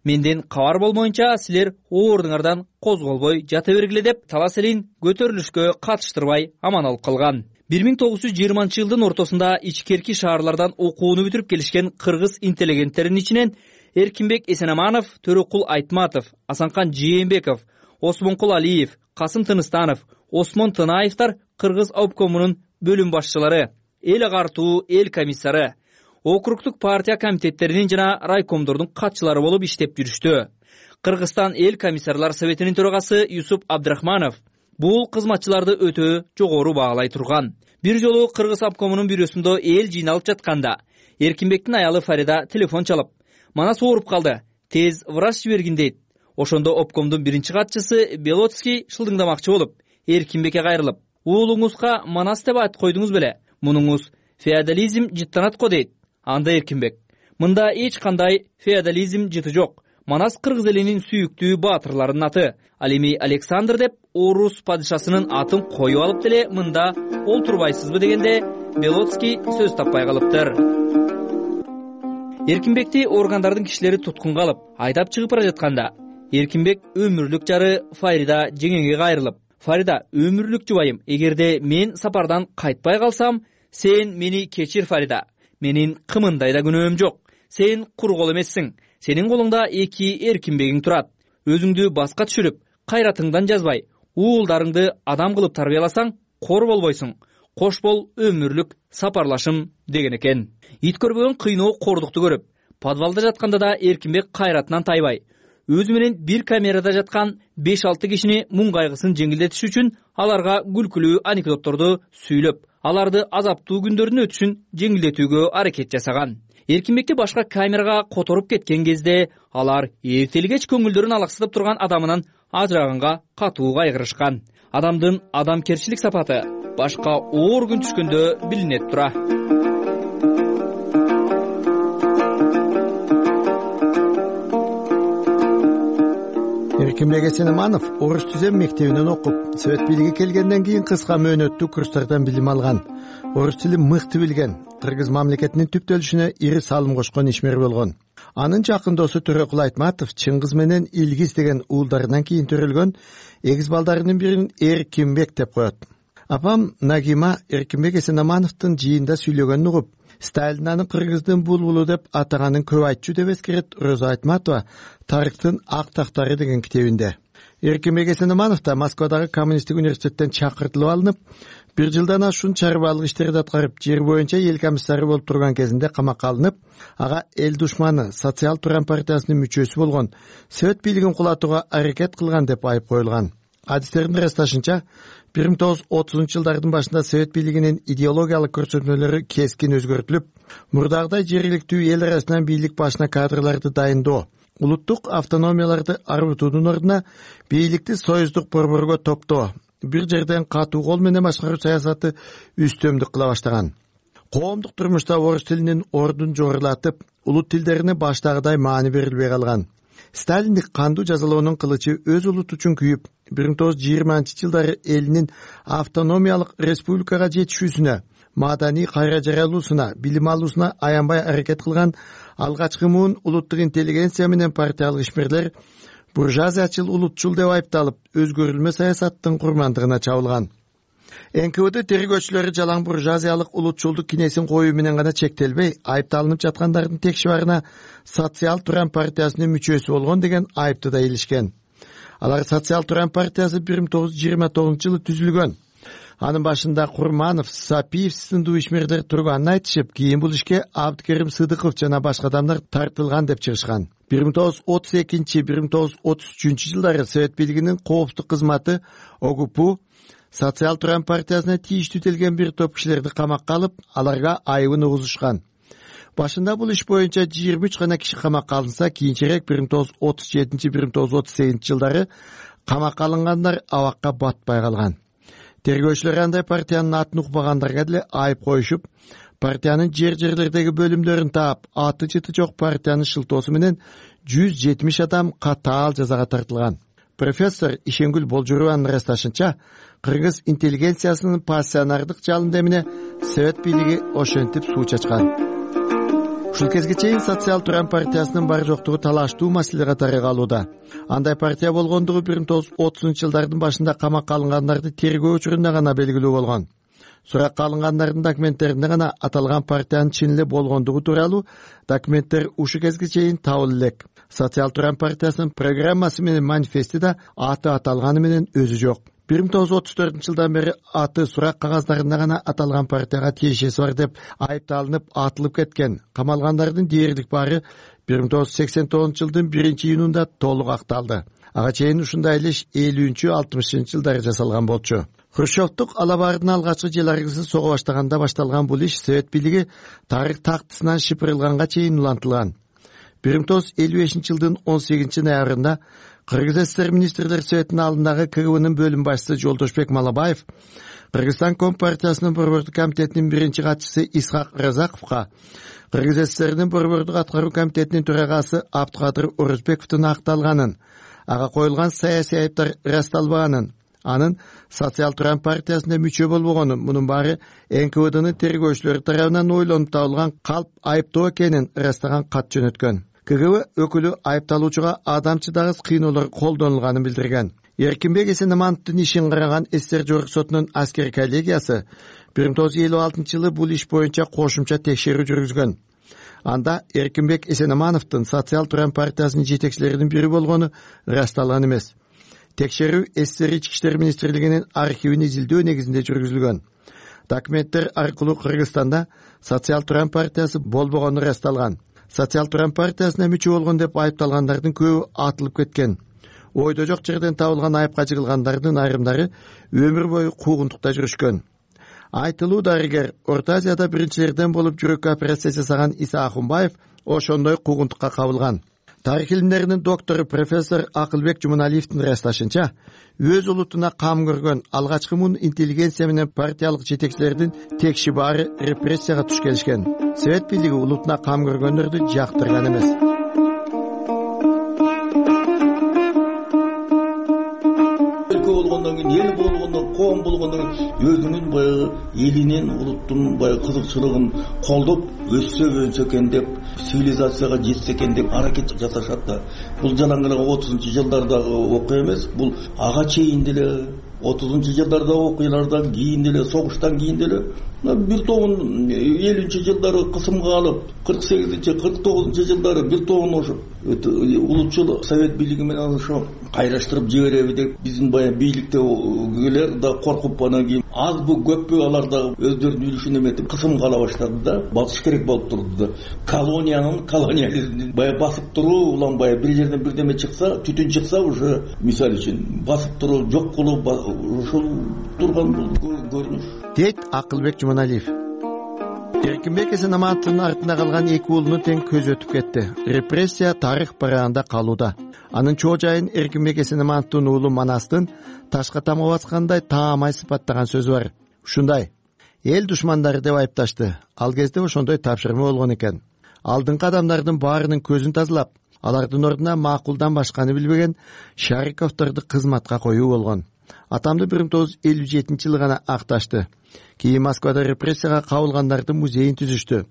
Менден кабар болмоюнча силер оордуңардан козголбой жата бергиле деп талас элин көтөрүлүшкө катыштырбай аман алып калган. 1920-жылдын ортосунда ичкерки шаарлардан окууну бүтүрүп келишкен кыргыз интеллигенттеринин ичинен Эркинбек Эсенаманов, Төрөкул Айтматов, Асанкан Жээнбеков, Осмонкул Алиев, Касым Тыныстанов, Осмон Тынаевдер кыргыз обкомунун бөлүм башчылары, эл агартуу эл комиссары, округдук партия комитеттеринин жана райкомдордун катчылары болуп иштеп жүрүштү. Кыргызстан эл комиссарлар советинин төрагасы Юсуп Абдрахманов бул кызматчыларды өтө жогору баалай турган. Бир жолу кыргыз обкомунун бюросунда эл жыйналып жатканда Эркинбектин аялы Фарида телефон чалып, «Манас ооруп калды, тез врач жибергин» дейт. Ошондо обкомдун биринчи катчысы Белоцкий шылдыңдамакчы болуп, Эркинбекке кайрылып, «Уулуңузга Манас деп айтып койдуңуз беле? Мунуңуз феодализм жыттанат го» дейт. Анда Эркинбек: «Мында эч кандай феодализм жыты жок. Манас кыргыз элинин сүйүктүү баатырларынын аты. Ал эми Александр деп орус падышасынын атын коюп алып деле мында олтурбайсызбы» дегенде Белоцкий сөз таппай калыптыр. Эркинбекти органдардын кишилери туткунга алып, айдап чыгып бара жатканда Эркинбек өмүрлүк жары Фарида жеңеңе кайрылып: «Фарида, өмүрлүк жубайым, эгерде мен сапардан кайтпай калсам, сен мени кечир Фарида. Менин кымындай да күнөөм жок. Сен куру кол эмессиң. Сенин колуңда 2 Эркинбегиң турат. Өзүңдү баска түшүрүп, кайратыңдан жазбай, уулдарыңды адам кылып тарбияласаң, кор болбойсуң. Кош бол өмүрлүк сапарлашым» деген экен. Ит көрбөгөн кыйноо кордукту көрүп, подвалда жатканда да Эркинбек кайратынан тайбай, өзү менен бир камерада жаткан 5-6 кишини муң кайгысын жеңилдетиш үчүн аларга күлкүлүү анекдотторду сүйлөп, аларды азаптуу күндөрдүн өтүшүн жеңилдетүүгө аракет жасаган. Эркинбекти башка камерага которуп кеткен кезде алар эртелгеч көңүлдөрүн алаксытып турган адамынан ажыраганга катуу кайгырышкан. Адамдын адамкерчилик сапаты башка оор күн түшкөндө билинет тура. Эркинбек Эсенаманов орус түзем мектебинен окуп, совет бийлиги келгенден кийин кыска мөөнөттүү курстардан билим алган. Орус тилин мыкты билген, кыргыз мамлекетинин түптөлүшүнө ири салым кошкон ишмер болгон. Анын жакын досу Төрөкул Айтматов Чыңгыз менен Илгиз деген уулдарынан кийин төрөлгөн эгиз балдарынын бирин Эркинбек деп коет. Апам Нагима Эркинбек Эсенамановдун жыйында сүйлөгөнүн угуп, Сталин аны кыргыздын булбулу деп атаганын көп айтчу деп эскерет Роза Айтматова «Тарыхтын ак тактары» деген китебинде. Эркинбек Эсенаманов да Москвадагы коммунисттик университеттен чакыртылып алынып, 1 жылдан ашуун чарбаалык иштерди аткарып, жер боюнча эл комиссары болуп турган кезинде камакка алынып, ага эл душманы Социал Туран партиясынын мүчөсү болгон, совет бийлигин кулатууга аракет кылган деп айып коюлган. адистердин ырасташынча 1930-жылдардын башында совет бийлигинин идеологиялык көрсөтмөлөрү кескин өзгөртүлүп, мурдагыдай жергиликтүү эл арасынан бийлик башына кадрларды дайындоо, улуттук автономияларды арбытуунун ордуна бийликти союздук борборго топтоо, бир жерден катуу кол менен башкаруу саясаты үстөмдүк кыла баштаган. Коомдук турмушта орус тилинин ордун жогорулатып, улут тилдерине баштагыдай маани берилбей калган. Сталиндик кандуу жазалоонун кылычы өз улут үчүн күйүп, 1920-жылдары элинин автономиялык республикага жетишүүсүнө, маданий кайра жаралуусуна, билим алуусуна аянбай аракет кылган алгачкы муун улуттук интеллигенция менен партиялык ишмерлер буржуазиячыл, улутчул деп айыпталып, өзгөрүлмө саясаттын курмандыгына чабылган. НКВД тергөөчүлөрү жалаң буржуазиялык улутчулдук кинесин коюу менен гана чектелбей, айыпталынып жаткандардын тек шыбарына Социал Туран партиясынын мүчөсү болгон деген айыпты да илишкен. Алар Социал Туран партиясы 1929-жылы түзүлгөн. Анын башында Курманов, Сапиев сындуу ишмерлер турганын айтышып, кийин бул ишке Абдыкерим Сыдыков жана башка адамдар тартылган деп чыгышкан. 1932-1933-жылдары совет бийлигинин коопсуздук кызматы ОГПУ Социал Туран партиясына тийиштүү келген бир топ кишилерди камакка алып, аларга айыбын угузушкан. Башында бул иш боюнча 23 гана киши камакка алынса, кийинчерээк 1937-1938-жылдары камакка алынгандар абакка батпай калган. Тергөөчүлөр андай партиянын атын укпагандарга деле айып коюшуп, партиянын жерлердеги бөлүмдөрүн таап, аты жыты жок партиянын шылтоосу менен 170 адам катаал жазага тартылган. Профессор Ишенгүл Болжурованын ырасташынча, кыргыз интеллигенциясынын пассионардык жалынды эмине совет бийлиги ошентип суу чачкан. Ушул кезге чейин Социал Туран партиясынын бар жоктугу талаштуу маселе катары калууда. Андай партия болгондугу 1930-жылдардын башында камакка алынгандарды тергөө учурунда гана белгилүү болгон. Суракка алынгандардын документтеринде гана аталган партиянын чын эле болгондугу тууралуу документтер ушул кезге чейин табыла элек. Социал Туран партиясынын программасы менен манифести да аты аталганы менен өзү жок. 1934-жылдан бери аты сурак кагаздарында гана аталган партияга тиешеси бар деп айыпталынып атылып кеткен. Камалгандардын дээрлик баары 1989-жылдын 1-июнунда толук акталды. Ага чейин ушундай эле 50-60-жылдары жасалган болчу. Хрущевдук алабардын алгачкы желаргысы сого баштаганда башталган бул иш совет бийлиги тарых тактысынан шыпырылганга чейин улантылган. 1955-жылдын 18-ноябрында Кыргыз ССР министрлер советинин алдындагы КГБнын бөлүм башчысы Жолдошбек Малабаев Кыргызстан Компартиясынын борбордук комитетинин биринчи катчысы Исхак Разаковго, Кыргыз ССРдин борбордук аткаруу комитетинин төрагасы Абдыкадыр Орозбековдун акталганын, ага коюлган саясий айыптар ырасталбаганын, анын Социал Туран партиясында мүчө болбогонун, мунун баары НКВДнын тергөөчүлөрү тарабынан ойлонуп табылган калп айыптоо экенин ырастаган кат жөнөткөн. КГБ өкүлү айыпталуучуга адамчы-дагыс кыйноолор колдонулганын билдирген. Эркинбек Эсенамановдун ишин караган СССР Жогорку сотунун аскер коллегиясы 1956-жылы бул иш боюнча кошумча текшерүү жүргүзгөн. Анда Эркинбек Эсенамановдун Социал Туран партиясынын жетекчилеринин бири болгону ырасталган эмес. Текшерүү СССР Ички иштер министрлигинин архивин изилдөө негизинде жүргүзүлгөн. Документтер аркылуу Кыргызстанда Социал Туран партиясы болбогону ырасталган. Социал Туран партиясына мүчө болгон деп айыпталгандардын көбү атылып кеткен. Ойдо жок жерден табылган айыпка жыгылгандардын айрымдары өмүр бою куугунтукта жүрүшкөн. Айтылуу дарыгер Орто Азияда биринчилерден болуп жүрөк операция жасаган Иса Ахунбаев ошондой куугунтукка кабылган. Тарых илимдеринин доктору профессор Акылбек Жуманалиевдин ырасташынча, өз улутуна кам көргөн алгачкы муун интеллигенция менен партиялык жетекчилердин текши баары репрессияга туш келишкен. Совет бийлиги улутуна кам көргөндөрдү жактырган эмес. Болгондон кийин эл болгондон, коом болгондон кийин өзүнүн баягы элинин, улуттун баягы кызыкчылыгын колдоп өссө өнсө экен деп, цивилизацияга жетсе экен деп аракет жасашат да. Бул жанагы 30-жылдардагы окуя эмес, бул ага чейин деле 30-жылдардагы окуялардан кийин деле, согуштан кийин деле бир тобун 50-жылдары кысымга алып 48-49 жылдары бир тобун ошо улутчул совет бийлиги менен ошо кайраштырып жибереби деп биздин баягы бийликтегилер да коркуп анан кийин азбы көппү алар да өздөрүнүн үлүшүн эметип кысымга ала баштады да басыш керек болуп турду да колониализмдин баягы басып туруу улам баягы бир жерден бирдеме чыкса түтүн чыкса уже мисалы үчүн басып туруу жок кылуу ошол турган бул көрүнүш дейт Акылбек Жуманалиев. Эркинбек Эсенаматовдун артында калган эки уулуну тең көз өтүп кетти. Репрессия тарых барагында калууда. Анын чоо жайын Эркинбек Эсенаматовдун уулу Манастын ташка тамга баскандай таамай сыпаттаган сөзү бар. Ушундай: эл душмандары деп айыпташты. Ал кезде ошондой тапшырма болгон экен. Алдыңкы адамдардын баарынын көзүн тазалап, алардын ордуна макулдан башканы билбеген Шариковдорду кызматка коюу болгон. Атамды 1957-жылы гана акташты. Кийин Москвада репрессияга кабылгандардын музейин түзүштү.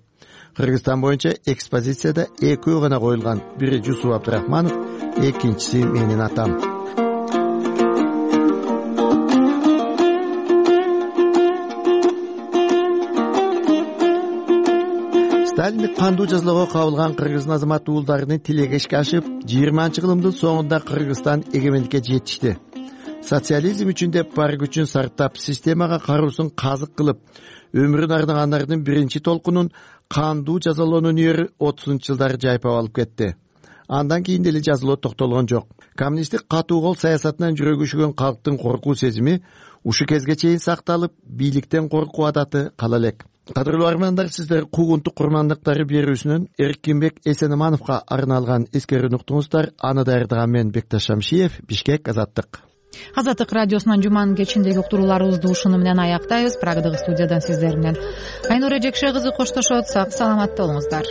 Кыргызстан боюнча экспозицияда экөө гана коюлган. Бири Жусуп Абдрахманов, экинчиси менин атам. Сталиндик кандуу жазалоого кабылган кыргыздын азамат уулдарынын тилеги ишке ашып, 20-жылдын соңунда Кыргызстан эгемендикке жетишти. Социализм үчүн деп бар күчүн сарптап, системага кароосун казык кылып, өмүрүн арнагандардын биринчи толкунун кандуу жазалоонун үйөрү 30-жылдары жайпап алып кетти. Андан кийин деле жазалоо токтолгон жок. Коммунисттик катуу кол саясатынан жүрөгү үшүгөн калктын коркуу сезими ушу кезге чейин сакталып, бийликтен коркуу адаты кала элек. Кадырлуу армандар, сиздер куугунтук курмандыктары берүүсүнөн Эркинбек Эсенамановго арналган эскерүүнү уктуңуздар. Аны даярдаган мен Бекташ Шамшиев, Бишкек, Азаттык. Азаттык радиосунун жуманын кечиндеги уктурууларыбызды ушуну менен аяктайбыз. Прагадагы студиядан сиздер менен Айнура Жекше кызы коштошот. Сак саламатта болуңуздар.